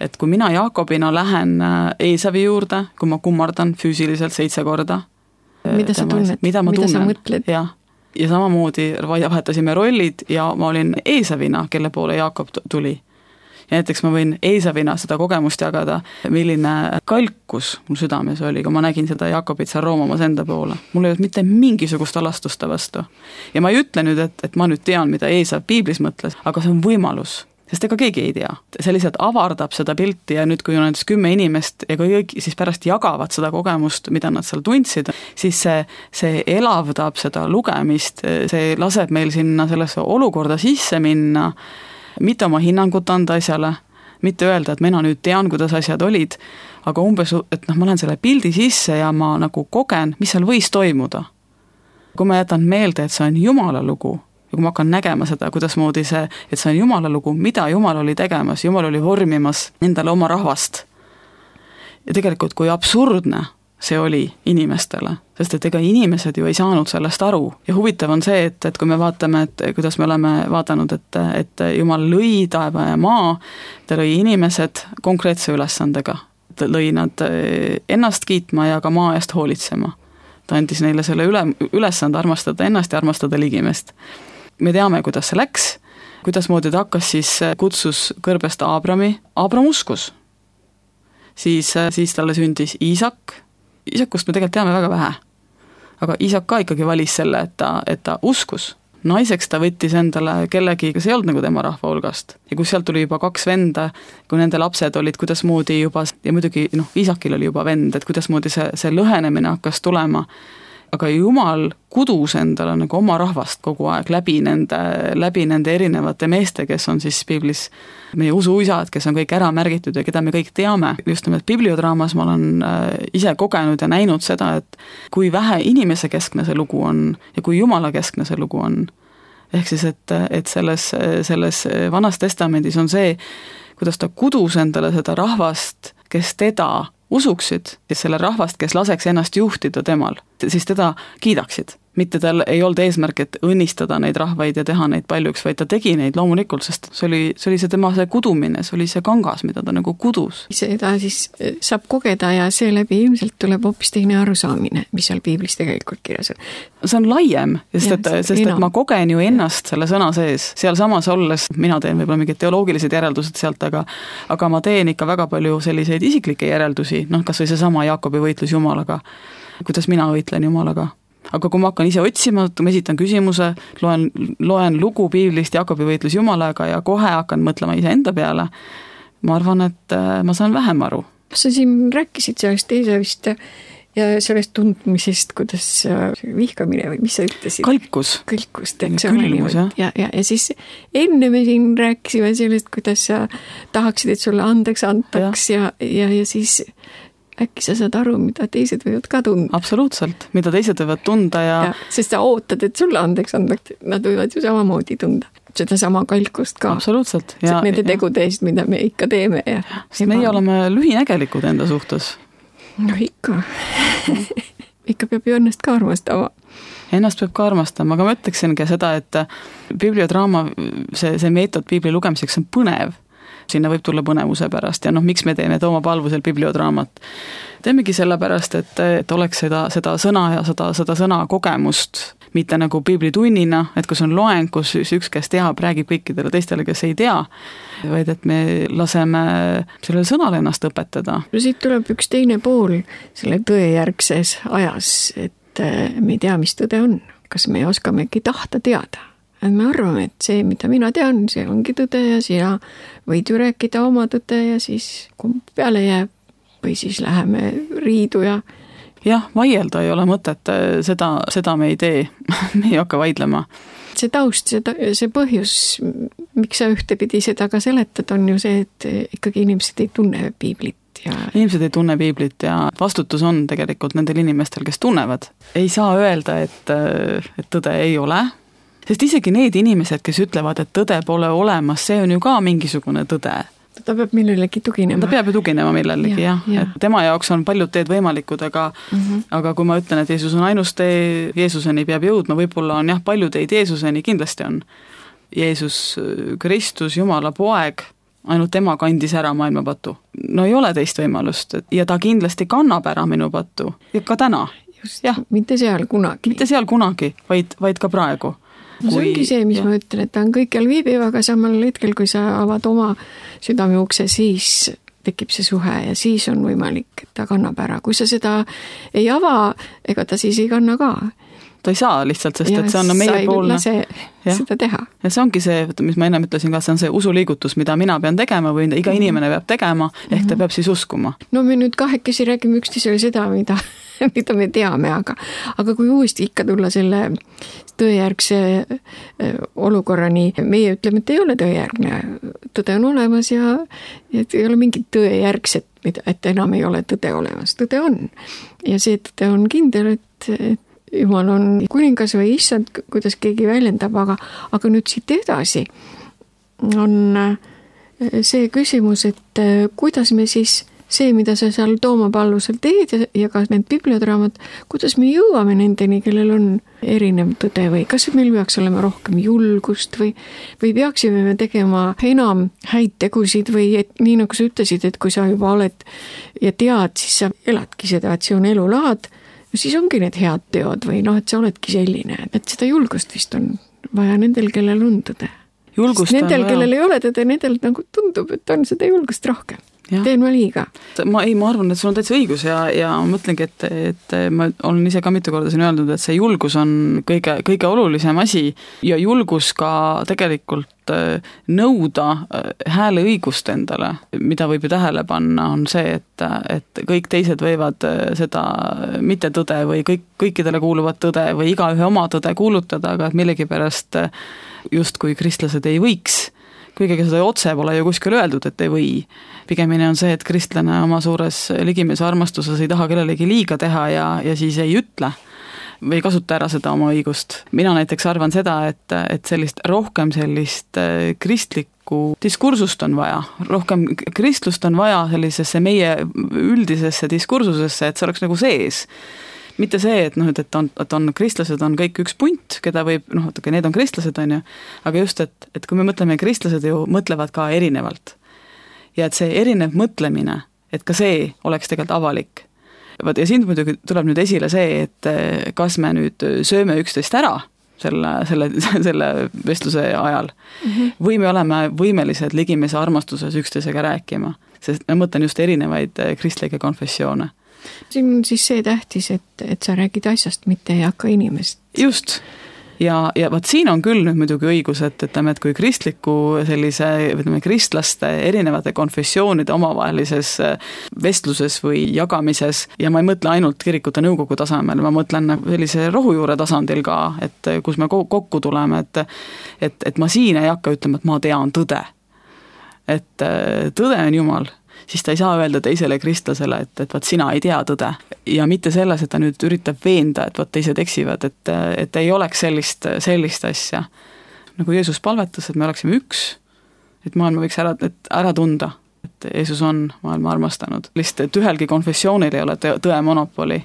et kui mina Jaakobina lähen Eesavi juurde, kui ma kummardan füüsiliselt seitse korda, mida sa tunned, mida, ma mida tunnen, sa mõtled? Jah. Ja samamoodi vahetasime rollid ja ma olin Eesavina, kelle poole Jaakob tuli. Ja näiteks ma võin Eesavina seda kogemust jagada, milline kalkus mul südames oli, kui ma nägin seda Jaakobit seal roomamas enda poole. Mul ei olnud mitte mingisugust alastusta vastu. Ja ma ei ütle nüüd, et, et ma nüüd tean, mida Eesav piiblis mõtles, aga see on võimalus. Sest ega keegi ei tea. See lihtsalt avardab seda pilti ja nüüd, kui on näiteks kümme inimest ja kõik siis pärast jagavad seda kogemust, mida nad seal tundsid, siis see, see elavdab seda lugemist, see laseb meil sinna sellesse olukorda sisse minna, mitte oma hinnangut anda asjale, mitte öelda, et mina nüüd tean, kuidas asjad olid, aga umbes, et noh, ma lähen selle pildi sisse ja ma nagu kogen, mis seal võis toimuda. Kui ma jätan meelde, et see on Jumala lugu, ja kui ma hakkan nägema seda, kuidas moodi see, et see on Jumala lugu, mida Jumal oli tegemas, Jumal oli vormimas endale oma rahvast. Ja tegelikult, kui absurdne see oli inimestele, sest et ega inimesed ju ei saanud sellest aru. Ja huvitav on see, et, et kui me vaatame, et kuidas me oleme vaadanud, et, et Jumal lõi taeva ja maa, ta lõi inimesed konkreetse ülesandega. Ta lõi nad ennast kiitma ja ka maa eest hoolitsema. Ta andis neile selle üle, ülesande armastada ennast ja armastada ligimest. Me teame, kuidas see läks, kuidas moodi ta hakkas, siis kutsus kõrbest Aabrami, Aabram uskus. Siis, siis talle sündis Iisak, Iisakust me tegelikult teame väga vähe, aga Iisak ka ikkagi valis selle, et ta, et ta uskus. Naiseks ta võttis endale kellegi, kes ei olnud nagu tema rahva hulgast. Ja kus sealt tuli juba kaks venda, kui nende lapsed olid, kuidas moodi juba, ja muidugi noh, Iisakil oli juba vend, et kuidas moodi see, see lõhenemine hakkas tulema. aga Jumal kudus endale nagu oma rahvast kogu aeg läbi nende, läbi nende erinevate meeste, kes on siis piiblis meie usuisad, kes on kõik ära märgitud ja keda me kõik teame. Just nimelt bibliodraamas ma olen ise kogenud ja näinud seda, et kui vähe inimese keskne see lugu on ja kui Jumala keskne see lugu on. Ehk siis, et, et selles, selles Vanas Testamendis on see, kuidas ta kudus endale seda rahvast, kes teda usuksid, selle rahvast, kes laseks ennast juhtida temal, siis teda kiidaksid. Mitte tal ei olnud eesmärk, et õnnistada neid rahvaid ja teha neid paljuks, vaid ta tegi neid loomulikult, sest see oli, see oli see tema see kudumine, see oli see kangas, mida ta nagu kudus. Seda siis saab kogeda ja seeläbi ilmselt tuleb hoopis teine arusaamine, mis seal piiblis tegelikult kirjas on. See on laiem, sest, ja, et, sest et ma kogen ju ennast selle sõna sees. Seal samas olles, mina teen võib-olla mingid teoloogilised järeldused sealt, aga, aga ma teen ikka väga palju selliseid isiklikke järeldusi, noh, kas või see sama Jaakobi võitlus Jumalaga, kuidas mina võitlen Jumalaga. Aga kui ma hakkan ise otsima, ma esitan küsimuse, loen, loen lugu piiblist Jaakobi võitlus Jumalaga ja kohe hakkan mõtlema ise enda peale, ma arvan, et ma saan vähem aru. Sa siin rääkisid sellest teisest ja sellest tundmisest, kuidas vihkamine või mis sa ütlesid? Kalkus. Kalkust, eks ole niimoodi. Ja, ja, ja siis enne me siin rääkisime sellest, kuidas sa tahaksid, et sulle andeks antaks ja, ja, ja, ja siis äkki sa saad aru, mida teised võivad ka tunda. Absoluutselt, mida teised võivad tunda ja... ja sest sa ootad, et sulle andeks andaks, nad võivad ju samamoodi tunda. Seda sama kalkust ka. Absoluutselt. Ja, nende ja. tegude eest, mida me ikka teeme. Ja sest meie oleme lühinägelikud enda suhtes. No ikka. ikka peab ju ennast ka armastama. Ennast peab ka armastama, aga ma ütleksingi seda, et bibliodraama, see, see meetod piibli lugemiseks on põnev. Sinna võib tulla põnevuse pärast ja noh, miks me teeme Tooma Palvusel bibliodraamat. Teemegi selle pärast, et, et oleks seda, seda sõna ja seda, seda sõna kogemust, mitte nagu biiblitunnina, et kus on loeng, kus üks, kes teab, räägib kõikidele teistele, kes ei tea, vaid et me laseme sellele sõnale ennast õpetada. Siit tuleb üks teine pool selle tõejärgses ajas, et me ei tea, mis tõde on. Kas me oskamegi tahta teada? Et me arvame, et see, mida mina tean, see ongi tõde ja sina võid ju rääkida oma tõde ja siis kumb peale jääb või siis läheme riidu ja... Jah, vaielda ei ole mõtet, seda, seda me ei tee, me ei hakka vaidlema. See taust, see, see põhjus, miks sa ühtepidi seda ka seletad, on ju see, et ikkagi inimesed ei tunne piiblit. Ja... Inimesed ei tunne piiblit ja vastutus on tegelikult nendel inimestel, kes tunnevad. Ei saa öelda, et, et tõde ei ole. Sest isegi need inimesed, kes ütlevad, et tõde pole olemas, see on ju ka mingisugune tõde. Ta peab millelegi tuginema. Ta peab ju tuginema millelegi, ja, jah. Ja. Et tema jaoks on paljud teed võimalikud, aga, mm-hmm. aga kui ma ütlen, et Jeesus on ainus tee, Jeesuseni peab jõudma, võib-olla on jah, palju teid Jeesuseni, kindlasti on. Jeesus Kristus, Jumala poeg, ainult tema kandis ära maailma patu. No ei ole teist võimalust ja ta kindlasti kannab ära minu patu ja ka täna. Just, jah. Mitte seal kunagi. Mitte seal kunagi, vaid, vaid ka praegu. No see ongi see, mis ja. ma ütlen, et ta on kõikjal viibiv, aga samal hetkel, kui sa avad oma südame ukse, siis tekib see suhe ja siis on võimalik, et ta kannab ära. Kui sa seda ei ava, ega ta siis ei kanna ka. Ta ei saa lihtsalt, sest ja et see on meie poolne. Sa ei lase seda teha. Ja see ongi see, mis ma ennem ütlesin ka, see on see usuliigutus, mida mina pean tegema või iga mm-hmm. inimene peab tegema, ehk ta peab siis uskuma. No me nüüd kahekesi räägime üksteisele seda, mida, mida me teame, aga, aga kui uuesti ikka tulla selle tõejärgse olukorrani, meie ütleme, et ei ole tõejärgne. Tõde on olemas ja et ei ole mingit tõejärgset, et enam ei ole tõde olemas. Tõde on. Ja see tõde on kindel, et, et Jumal on kuningas või issand, kuidas keegi väljendab, aga, aga nüüd siit edasi on see küsimus, et kuidas me siis see, mida sa seal Tooma Palvusel teed ja, ja ka need bibliodraamad, kuidas me jõuame nendeni, kellel on erinev tõde või kas meil peaks olema rohkem julgust või, või peaksime me tegema enam häid tegusid või et, nii nagu sa ütlesid, et kui sa juba oled ja tead, siis sa eladki seda, et see on elulaad, siis ongi need head teod või noh, et sa oledki selline, et seda julgust vist on vaja nendel, kellel on tõde. Nendel, kellel ei ole tõde, nendel nagu tundub, et on seda julgust rohkem. Ja. Teen ma liiga? Ma ei, ma arvan, et sul on täitsa õigus ja, ja ma mõtlengi, et, et ma olen ise ka mitu korda siin öeldud, et see julgus on kõige, kõige olulisem asi ja julgus ka tegelikult nõuda hääleõigust endale, mida võib ju tähele panna, on see, et, et kõik teised võivad seda mitte tõde või kõik, kõikidele kuuluvat tõde või igaühe oma tõde kuulutada, aga et millegipärast justkui kristlased ei võiks, kuigi seda otse pole ju kuskil öeldud, et ei või. Pigemini on see, et kristlane oma suures ligimeelse armastuses ei taha kellelegi liiga teha ja, ja siis ei ütle või kasuta ära seda oma õigust. Mina näiteks arvan seda, et, et sellist rohkem sellist kristlikku diskursust on vaja, rohkem kristlust on vaja sellisesse meie üldisesse diskursusesse, et see oleks nagu sees. Mitte see, et, noh, et, on, et on kristlased on kõik üks punt, keda võib, noh, et need on kristlased, on ju, aga just, et, et kui me mõtleme, kristlased ju mõtlevad ka erinevalt. Ja et see erinev mõtlemine, et ka see oleks tegelikult avalik. Ja siin muidugi tuleb nüüd esile see, et kas me nüüd sööme üksteist ära selle, selle, selle vestluse ajal mm-hmm. või me oleme võimelised ligimeelse armastuses üksteisega rääkima, sest ma mõtlen just erinevaid kristlikke konfessioone. Siin on siis see tähtis, et, et sa räägid asjast, mitte ei hakka inimest. Just. Ja, ja vaat siin on küll nüüd muidugi õigus, et, et, et kui kristliku sellise, võtame, kristlaste erinevate konfessioonide omavahelises vestluses või jagamises, ja ma ei mõtle ainult kirikute nõukogu tasemel, ma mõtlen sellise rohujuure tasandil ka, et kus me kokku tuleme, et, et, et ma siin ei hakka ütlema, et ma tean tõde. Et tõde on Jumal. Siis ta ei saa öelda teisele kristlasele, et, et vaat sina ei tea tõde. Ja mitte selles, et ta nüüd üritab veenda, et vaat teised eksivad, et, et ei oleks sellist, sellist asja. Nagu Jeesus palvetas, et me oleksime üks, et maailma võiks ära, et ära tunda, et Jeesus on maailma armastanud. Lihtsalt, et ühelgi konfessioonil ei ole tõe monopoli.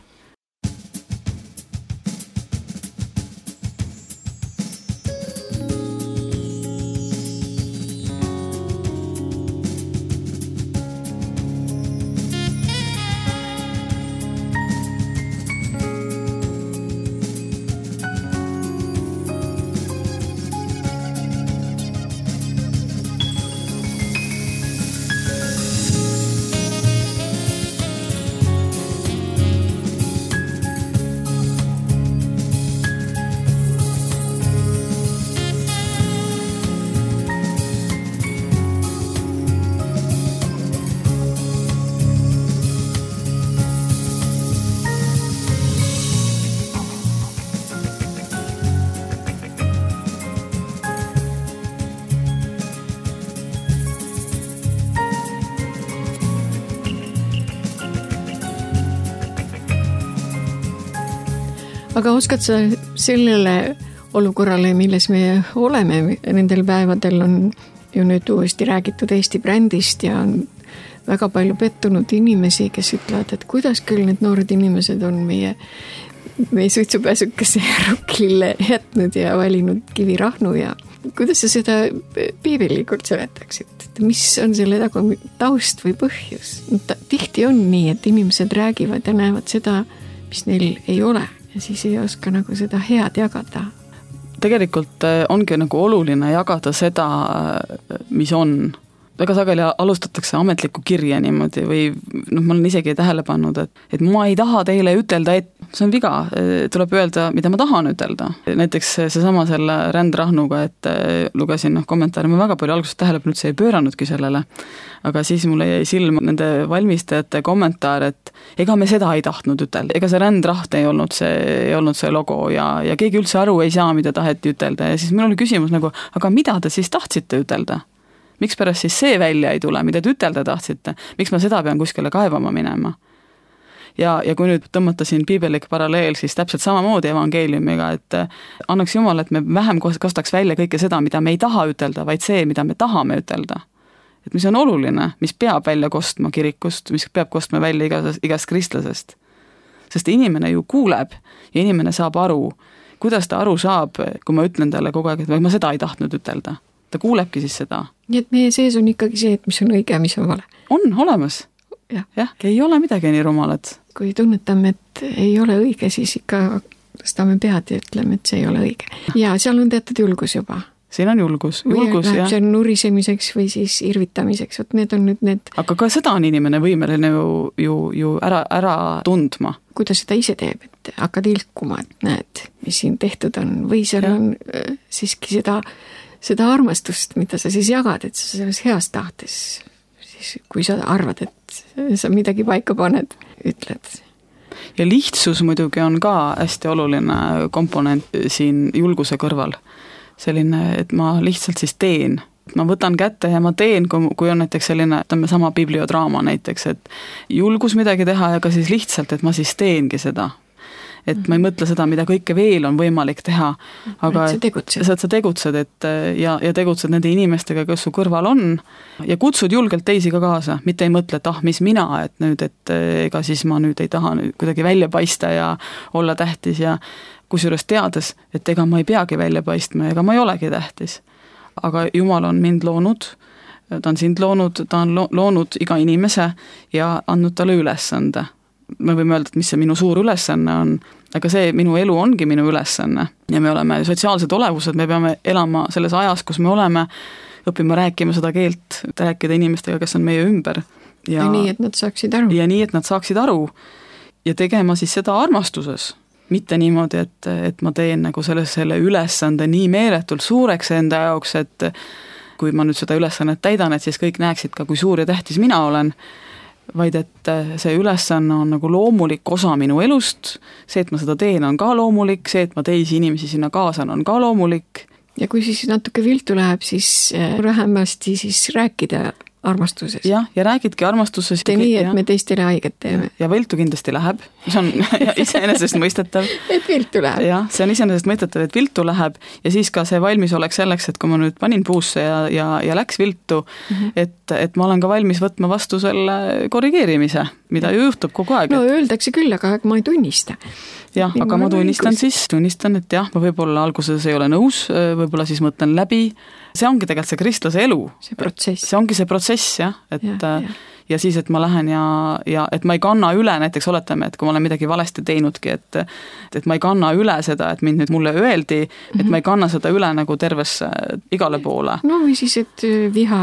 Aga oskad sa sellele olukorrale, milles me oleme, nendel päevadel on ju nüüd uuesti räägitud Eesti brändist ja on väga palju pettunud inimesi, kes ütlevad, et kuidas küll need noored inimesed on meie, meie suitsupääsukese rukkile jätnud ja valinud kivirahnu ja kuidas sa seda piibelikult seletaksid? Mis on selle taga taust või põhjus? Tihti on nii, et inimesed räägivad ja näevad seda, mis neil ei ole. Ja siis ei oska nagu seda head jagada. Tegelikult ongi nagu oluline jagada seda, mis on. Väga sageli alustatakse ametlikku kirja niimoodi või noh, ma olen isegi tähele pannud, et, et ma ei taha teile ütelda, et see on viga, tuleb öelda, mida ma tahan ütelda. Näiteks seesama selle rändrahnuga, et lugesin noh, kommentaari, ma väga palju algusest tähelepanu üldse ei pööranudki sellele, aga siis mulle jäi silma nende valmistajate kommentaar, et ega me seda ei tahtnud ütelda, ega see rändraht ei olnud see, ei olnud see logo ja, ja keegi üldse aru ei saa, mida taheti ütelda ja siis mul oli küsimus nagu, aga mida te siis tahtsite ütelda? Miks pärast siis see välja ei tule, mida te ütelda tahtsite? Miks ma seda pean kuskile kaevama minema? Ja, ja kui nüüd tõmmata siin piibelik paralleel, siis täpselt samamoodi evangeeliumiga, et annaks Jumal, et me vähem kostaks välja kõike seda, mida me ei taha ütelda, vaid see, mida me tahame ütelda. Et mis on oluline, mis peab välja kostma kirikust, mis peab kostma välja igast, igast kristlasest. Sest inimene ju kuuleb ja inimene saab aru, kuidas ta aru saab, kui ma ütlen talle kogu aeg, et ma seda ei tahtnud ütelda. Ta kuulebki siis seda. Nii et meie sees on ikkagi see, et mis on õige ja mis on vale. On olemas. Ja. Jah, ei ole midagi nii rumalat. Kui tunnetame, et ei ole õige, siis ikka tõstame pead ja ütleme, et see ei ole õige. Ja seal on teatud julgus juba. siin on julgus, julgus või läheb ja see nurisemiseks või siis irvitamiseks, vot need on nüüd need. Aga ka seda on inimene võimeline ju, ju, ju ära, ära tundma. Kui ta seda ise teeb, et hakkad ilkuma, et näed, mis siin tehtud on, või seal ja. on äh, siiski seda, seda armastust, mida sa siis jagad, et sa selles heas tahtes, siis kui sa arvad, et sa midagi paika paned, ütled. Ja lihtsus muidugi on ka hästi oluline komponent siin julguse kõrval. Selline, et ma lihtsalt siis teen. Ma võtan kätte ja ma teen, kui on näiteks selline, ütleme sama bibliodraama näiteks, et julgus midagi teha ja ka siis lihtsalt, et ma siis teengi seda. Et ma ei mõtle seda, mida kõike veel on võimalik teha, aga et sa tegutsed, et sa tegutsed et, ja, ja tegutsed nende inimestega, kes su kõrval on ja kutsud julgelt teisi ka kaasa, mitte ei mõtle, et ah, mis mina, et nüüd, et ega siis ma nüüd ei taha nüüd kuidagi välja paista ja olla tähtis ja kusjuures teades, et ega ma ei peagi välja paistma, ega ma ei olegi tähtis. Aga Jumal on mind loonud, ta on sind loonud, ta on loonud iga inimese ja andnud talle ülesande. Me võime öelda, et mis see minu suur ülesanne on, aga see minu elu ongi minu ülesanne ja me oleme sotsiaalsed olevused, me peame elama selles ajas, kus me oleme, õppima rääkima seda keelt, rääkida inimestega, kes on meie ümber. Ja, ja nii, et nad saaksid aru. Ja nii, et nad saaksid aru ja tegema siis seda armastuses. Mitte niimoodi, et, et ma teen nagu selle, selle ülesande nii meeletult suureks enda jaoks, et kui ma nüüd seda ülesannet täidan, et siis kõik näeksid ka, kui suur ja tähtis mina olen, vaid et see ülesanne on nagu loomulik osa minu elust, see, et ma seda teen, on ka loomulik, see, et ma teisi inimesi sinna kaasan, on ka loomulik. Ja kui siis natuke viltu läheb, siis vähemasti siis rääkida armastuses. Jah, ja räägidki armastuses. Tee nii, et ja. me teistele haiget teeme. Ja viltu kindlasti läheb. See on iseenesest mõistetav. Et viltu läheb. Ja, see on iseenesest mõistetav, et viltu läheb ja siis ka see valmis oleks selleks, et kui ma nüüd panin puusse ja, ja, ja läks viltu, mm-hmm. et, et ma olen ka valmis võtma vastu selle korrigeerimise, mida ju juhtub kogu aeg. No öeldakse küll, aga ma ei tunnista. Jah, aga ma tunnistan siis, tunnistan, et jah, ma võib-olla alguses ei ole nõus, võib-olla siis mõtlen läbi. See ongi tegelikult see kristlase elu. See protsess. See ongi see protsess, jah, et ja, ja. ja siis, et ma lähen ja, ja et ma ei kanna üle, näiteks oletame, et kui ma olen midagi valesti teinudki, et, et ma ei kanna üle seda, et mind nüüd mulle öeldi, et mm-hmm. ma ei kanna seda üle nagu tervesse igale poole. No või siis, et viha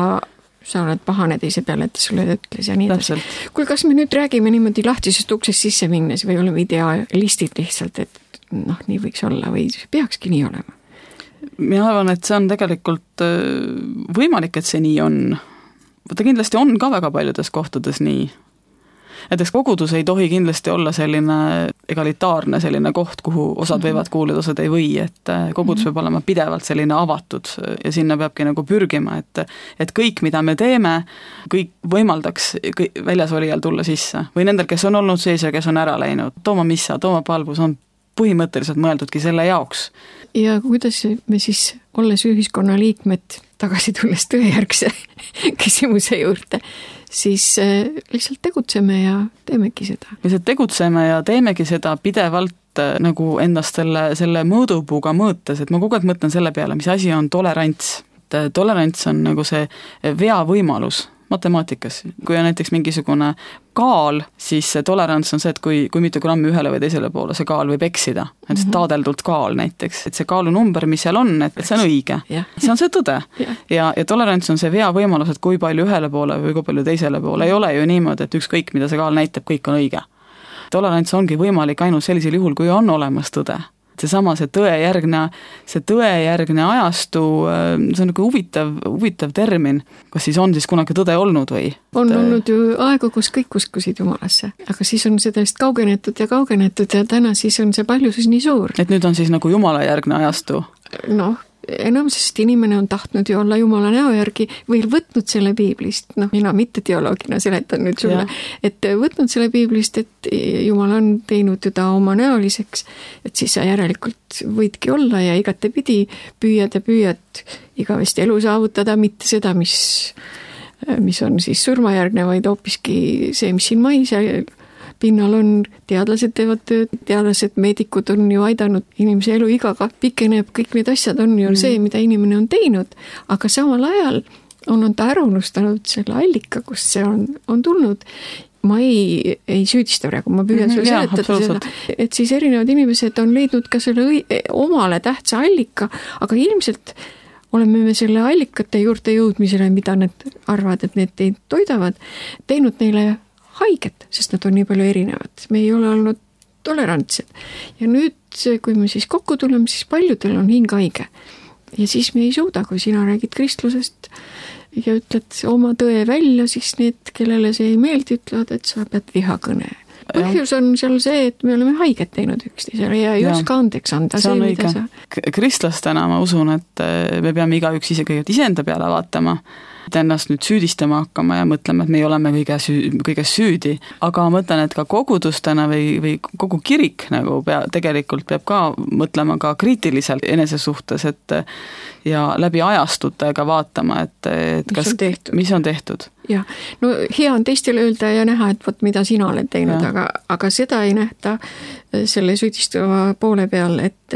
sa oled pahane teise peale, et sulle ütles ja nii edasi. Kui kas me nüüd räägime niimoodi lahtisest uksest sisse minnes või oleme idealistid lihtsalt, et noh, nii võiks olla või peakski nii olema? Mina arvan, et see on tegelikult võimalik, et see nii on. Ta kindlasti on ka väga paljudes kohtades nii. Näiteks kogudus ei tohi kindlasti olla selline egalitaarne selline koht, kuhu osad võivad kuuluda, osad ei või, et kogudus peab olema pidevalt selline avatud ja sinna peabki nagu pürgima, et, et kõik, mida me teeme, kõik võimaldaks kõik väljas olijal tulla sisse või nendel, kes on olnud sees ja kes on ära läinud. Tooma missa, tooma palvus on põhimõtteliselt mõeldudki selle jaoks. Ja kuidas me siis, olles ühiskonna liikmed, tagasi tulles tõejärgse küsimuse juurde, siis lihtsalt tegutseme ja teemegi seda. Lihtsalt tegutseme ja teemegi seda pidevalt nagu endast selle, selle mõõdupuuga mõõtes, et ma kogu aeg mõtlen selle peale, mis asi on tolerants. Tolerants on nagu see vea võimalus matemaatikas. Kui on näiteks mingisugune kaal, siis tolerants on see, et kui, kui mitu grammi ühele või teisele poole see kaal võib eksida. Et see taadeldult kaal näiteks, et see kaalunumber, mis seal on, et see on õige. See on see tõde. Ja, ja tolerants on see vea võimalus, et kui palju ühele poole või kui palju teisele poole. Ei ole ju niimoodi, et ükskõik, mida see kaal näitab, kõik on õige. Tolerants ongi võimalik ainult sellisel juhul, kui on olemas tõde. Seesama see tõejärgne, see tõejärgne ajastu, see on nagu huvitav, huvitav termin. Kas siis on siis kunagi tõde olnud või? On olnud ju aegu, kus kõik uskusid Jumalasse, aga siis on sellest kaugenetud ja kaugenetud ja täna siis on see paljusus nii suur. Et nüüd on siis nagu Jumala järgne ajastu? Noh, enam sest inimene on tahtnud ju olla Jumala näo järgi või võtnud selle piiblist, noh mina mitte teoloogina seletan nüüd sulle, ja. Et võtnud selle piiblist, et Jumal on teinud teda oma näoliseks, et siis sa järelikult võidki olla ja igatepidi püüad ja püüad igavesti elu saavutada, mitte seda, mis, mis on siis surmajärgne, vaid hoopiski see, mis siin mais pinnal on, teadlased teevad tööd, teadlased, meedikud on ju aidanud inimese elu igaga, pikeneb, kõik need asjad on ju mm. see, mida inimene on teinud, aga samal ajal on, on ta ära unustanud selle allika, kust see on, on tulnud. Ma ei, ei süüdista praegu, ma püüan mm-hmm, sulle seletada seda, et siis erinevad inimesed on leidnud ka selle õi- omale tähtsa allika, aga ilmselt oleme me selle allikate juurde jõudmisele, mida nad arvavad, et need teid toidavad, teinud neile haiget, sest nad on nii palju erinevad. Me ei ole olnud tolerantsed. Ja nüüd, kui me siis kokku tuleme, siis paljudel on hing haige. Ja siis me ei suuda, kui sina räägid kristlusest ja ütled oma tõe välja, siis need, kellele see ei meeldi, ütlevad, et sa pead vihakõne. Põhjus on seal see, et me oleme haiget teinud üksteisele ja ei ja. oska andeks anda. See on see, õige. Sa... Kristlastena ma usun, et me peame igaüks ise kõigepealt iseenda peale vaatama, et ennast nüüd süüdistama hakkama ja mõtlema, et me oleme kõige süü, kõiges süüdi. Aga ma mõtlen, et ka kogudustena või, või kogu kirik nagu pea, tegelikult peab ka mõtlema ka kriitiliselt enese suhtes, et ja läbi ajastutega vaatama, et, et mis kas, on tehtud. Mis on tehtud. Ja, no hea on teistele öelda ja näha, et võt, mida sina oled teinud, aga, aga seda ei nähta selle süüdistava poole peal, et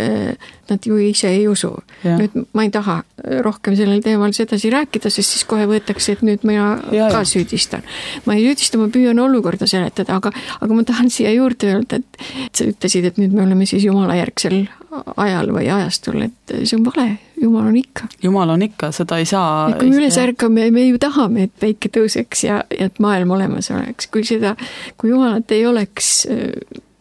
nad ju ise ei usu. Ja. Nüüd ma ei taha rohkem sellel teemal sedasi rääkida, sest siis kohe võetakse, et nüüd mina ja, ka ja. süüdistan. Ma ei süüdista, ma püüan olukorda seletada, aga, aga ma tahan siia juurde öelda, et, et sa ütlesid, et nüüd me oleme siis Jumala järgsel ajal või ajastul, et see on vale. Jumal on ikka. Jumal on ikka, seda ei saa... Ja kui me üles ärkame, me ju tahame, et päike tõuseks ja, ja et maailm olemas oleks. Kui seda, kui Jumalat ei oleks,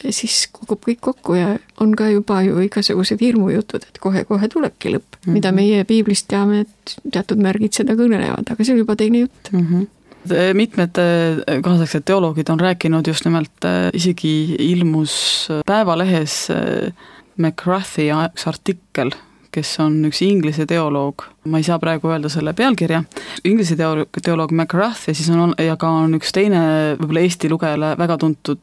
siis kukub kõik kokku ja on ka juba ju igasugused hirmujutud, et kohe-kohe tulebki lõpp. Mm-hmm. Mida meie piiblist teame, et teatud märgid seda kõnelevad, aga see on juba teine jutt. Mm-hmm. Mitmed kaasaegsed teoloogid on rääkinud just nimelt, isegi ilmus Päevalehes McCarthy artikkel, kes on üks inglise teoloog, ma ei saa praegu öelda selle pealkirja, inglise teoloog, teoloog McCarthy, siis on, ja ka on üks teine võib-olla Eesti lugejale väga tuntud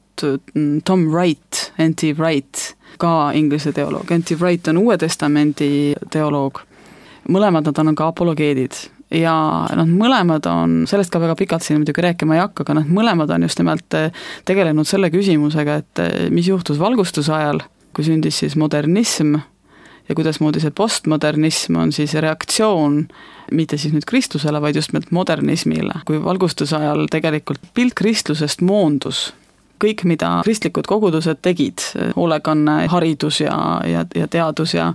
Tom Wright, N T Wright, ka inglise teoloog. N T Wright on Uue Testamendi teoloog. Mõlemad nad on ka apologeedid ja nad mõlemad on, sellest ka väga pikalt siin muidugi rääkima ei hakka, aga nad mõlemad on just nimelt tegelenud selle küsimusega, et mis juhtus valgustuse ajal, kui sündis siis modernism, ja kuidas moodi see postmodernism on siis reaktsioon mitte siis nüüd kristlusele, vaid just modernismile. Kui valgustuse ajal tegelikult pilt kristlusest moondus, kõik, mida kristlikud kogudused tegid, hoolekanne, haridus ja, ja, ja teadus ja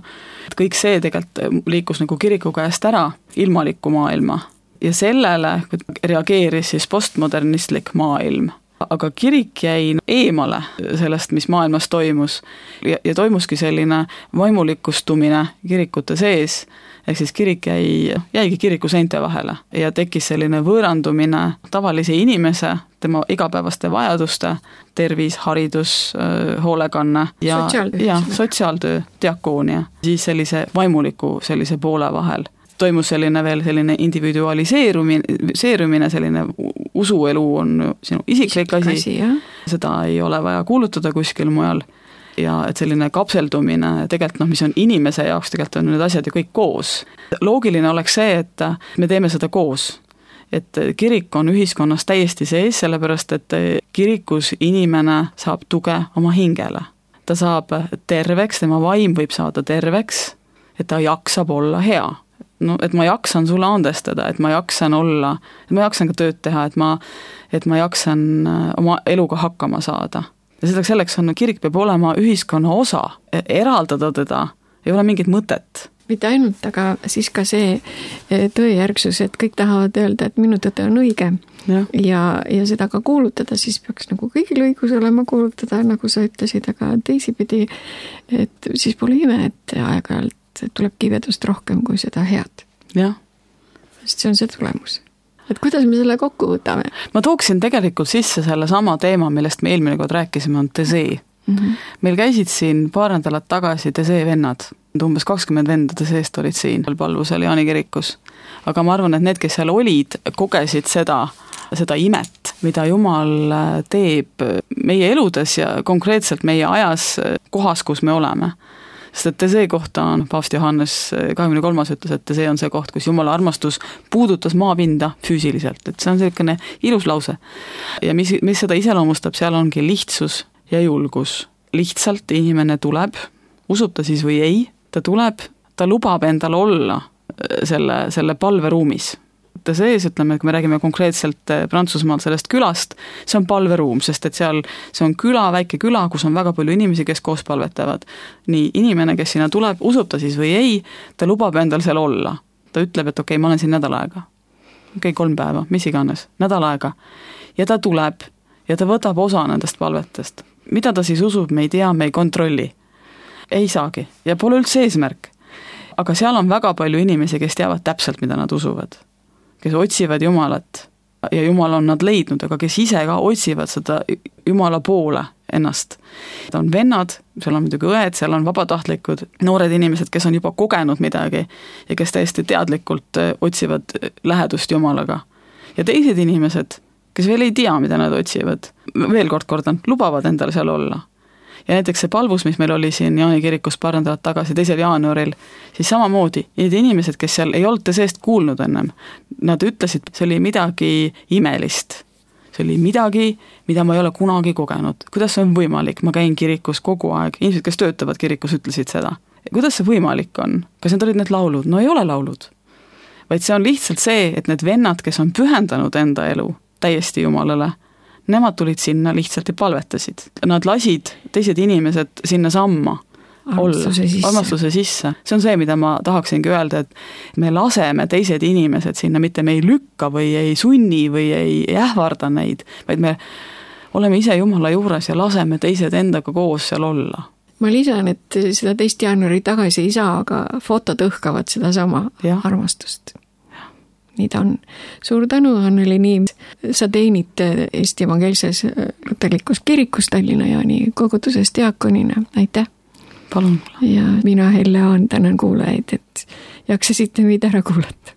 kõik see tegelikult liikus nagu kiriku käest ära ilmaliku maailma. Ja sellele reageeris siis postmodernistlik maailm. Aga kirik jäi eemale sellest, mis maailmas toimus ja, ja toimuski selline vaimulikustumine kirikute sees, ehk siis kirik jäi, jäigi kiriku seinte vahele ja tekkis selline võõrandumine tavalise inimese, tema igapäevaste vajaduste, tervis, haridus, hoolekanne ja sotsiaaltöö, ja, sotsiaaltöö diakoonia, siis sellise vaimuliku sellise poole vahel. Toimus selline veel selline individualiseerumine, selline usuelu on sinu isiklik asi, asi seda ei ole vaja kuulutada kuskil mujal ja et selline kapseldumine tegelikult noh, mis on inimese jaoks, tegelikult on need asjad ju kõik koos. Loogiline oleks see, et me teeme seda koos, et kirik on ühiskonnas täiesti sees, sellepärast et kirikus inimene saab tuge oma hingele. Ta saab terveks, tema vaim võib saada terveks, et ta jaksab olla hea. No, et ma jaksan sulle andestada, et ma jaksan olla, et ma jaksan ka tööd teha, et ma, et ma jaksan oma eluga hakkama saada. Ja selleks, selleks on, kirik peab olema ühiskonna osa, eraldada teda, ei ole mingit mõtet. Mitte ainult, aga siis ka see tõejärgsus, et kõik tahavad öelda, et minu tõde on õige ja, ja, ja seda ka kuulutada, siis peaks nagu kõigil õigus olema kuulutada, nagu sa ütlesid, aga teisipidi, et siis pole ime, et aeg-ajalt tuleb kivedust rohkem kui seda head. Jah. Sest see on see tulemus. Et kuidas me selle kokku võtame? Ma tooksin tegelikult sisse selle sama teema, millest me eelmine kord rääkisime, on Tesee. Mm-hmm. Meil käisid siin paar nädalat tagasi Tesee vennad. Umbes kakskümmend venda Teseest olid siin palvusel Jaani kirikus. Aga ma arvan, et need, kes seal olid, kogesid seda, seda imet, mida Jumal teeb meie eludes ja konkreetselt meie ajas kohas, kus me oleme. Sest et Tesee kohta on, paavst Johannes kahekümne kolmas ütles, et Tesee on see koht, kus Jumala armastus puudutas maapinda füüsiliselt, et see on selline ilus lause. Ja mis, mis seda iseloomustab, seal ongi lihtsus ja julgus. Lihtsalt inimene tuleb, usub ta siis või ei, ta tuleb, ta lubab endal olla selle, selle palveruumis. Tesees, ütleme, kui me räägime konkreetselt Prantsusmaal sellest külast, see on palveruum, sest et seal see on küla, väike küla, kus on väga palju inimesi, kes koos palvetavad. Nii inimene, kes sinna tuleb, usub ta siis või ei, ta lubab endal seal olla. ta ütleb, et okei okay,, ma olen siin nädal aega. okei okay,, kolm päeva, mis iganes, nädal aega. Ja ta tuleb ja ta võtab osa nendest palvetest. Mida ta siis usub, me ei tea, me ei kontrolli. Ei saagi ja pole üldse eesmärk. Aga seal on väga palju inimesi, kes teavad täpselt, mida nad usuvad. Kes otsivad Jumalat ja Jumal on nad leidnud, aga kes ise ka otsivad seda Jumala poole ennast. Ta on vennad, seal on muidugi õed, seal on vabatahtlikud, noored inimesed, kes on juba kogenud midagi ja kes täiesti teadlikult otsivad lähedust Jumalaga. Ja teised inimesed, kes veel ei tea, mida nad otsivad, veel kord kordan, lubavad endale seal olla. Ja näiteks see palvus, mis meil oli siin Jaani kirikus paar nädalat tagasi, teisel jaanuaril, siis samamoodi, need inimesed, kes seal ei olnud seest kuulnud ennem, nad ütlesid, see oli midagi imelist. See oli midagi, mida ma ei ole kunagi kogenud. Kuidas see on võimalik? Ma käin kirikus kogu aeg. Inimesed, kes töötavad kirikus, ütlesid seda. Kuidas see võimalik on? Kas need olid need laulud? No ei ole laulud. Vaid see on lihtsalt see, et need vennad, kes on pühendanud enda elu täiesti Jumalale, nemad tulid sinna lihtsalt ja palvetasid. Nad lasid teised inimesed sinna samma armastuse sisse. armastuse sisse. See on see, mida ma tahaksingi öelda, et me laseme teised inimesed sinna, mitte me ei lükka või ei sunni või ei ähvarda neid, vaid me oleme ise Jumala juures ja laseme teised endaga koos seal olla. Ma lisan, et seda teist jaanuari tagasi ei saa, aga fotod õhkavad seda sama ja. armastust. Nii ta on. Suur tänu, Anneli Niim. Sa teenid Eesti Evangeelses Luterlikus kirikus Tallinna Jaani koguduses diakonina. Aitäh! Palun! Ja mina, Helle Aan, tänan kuulajaid, et jaksasite meid ära kuulata.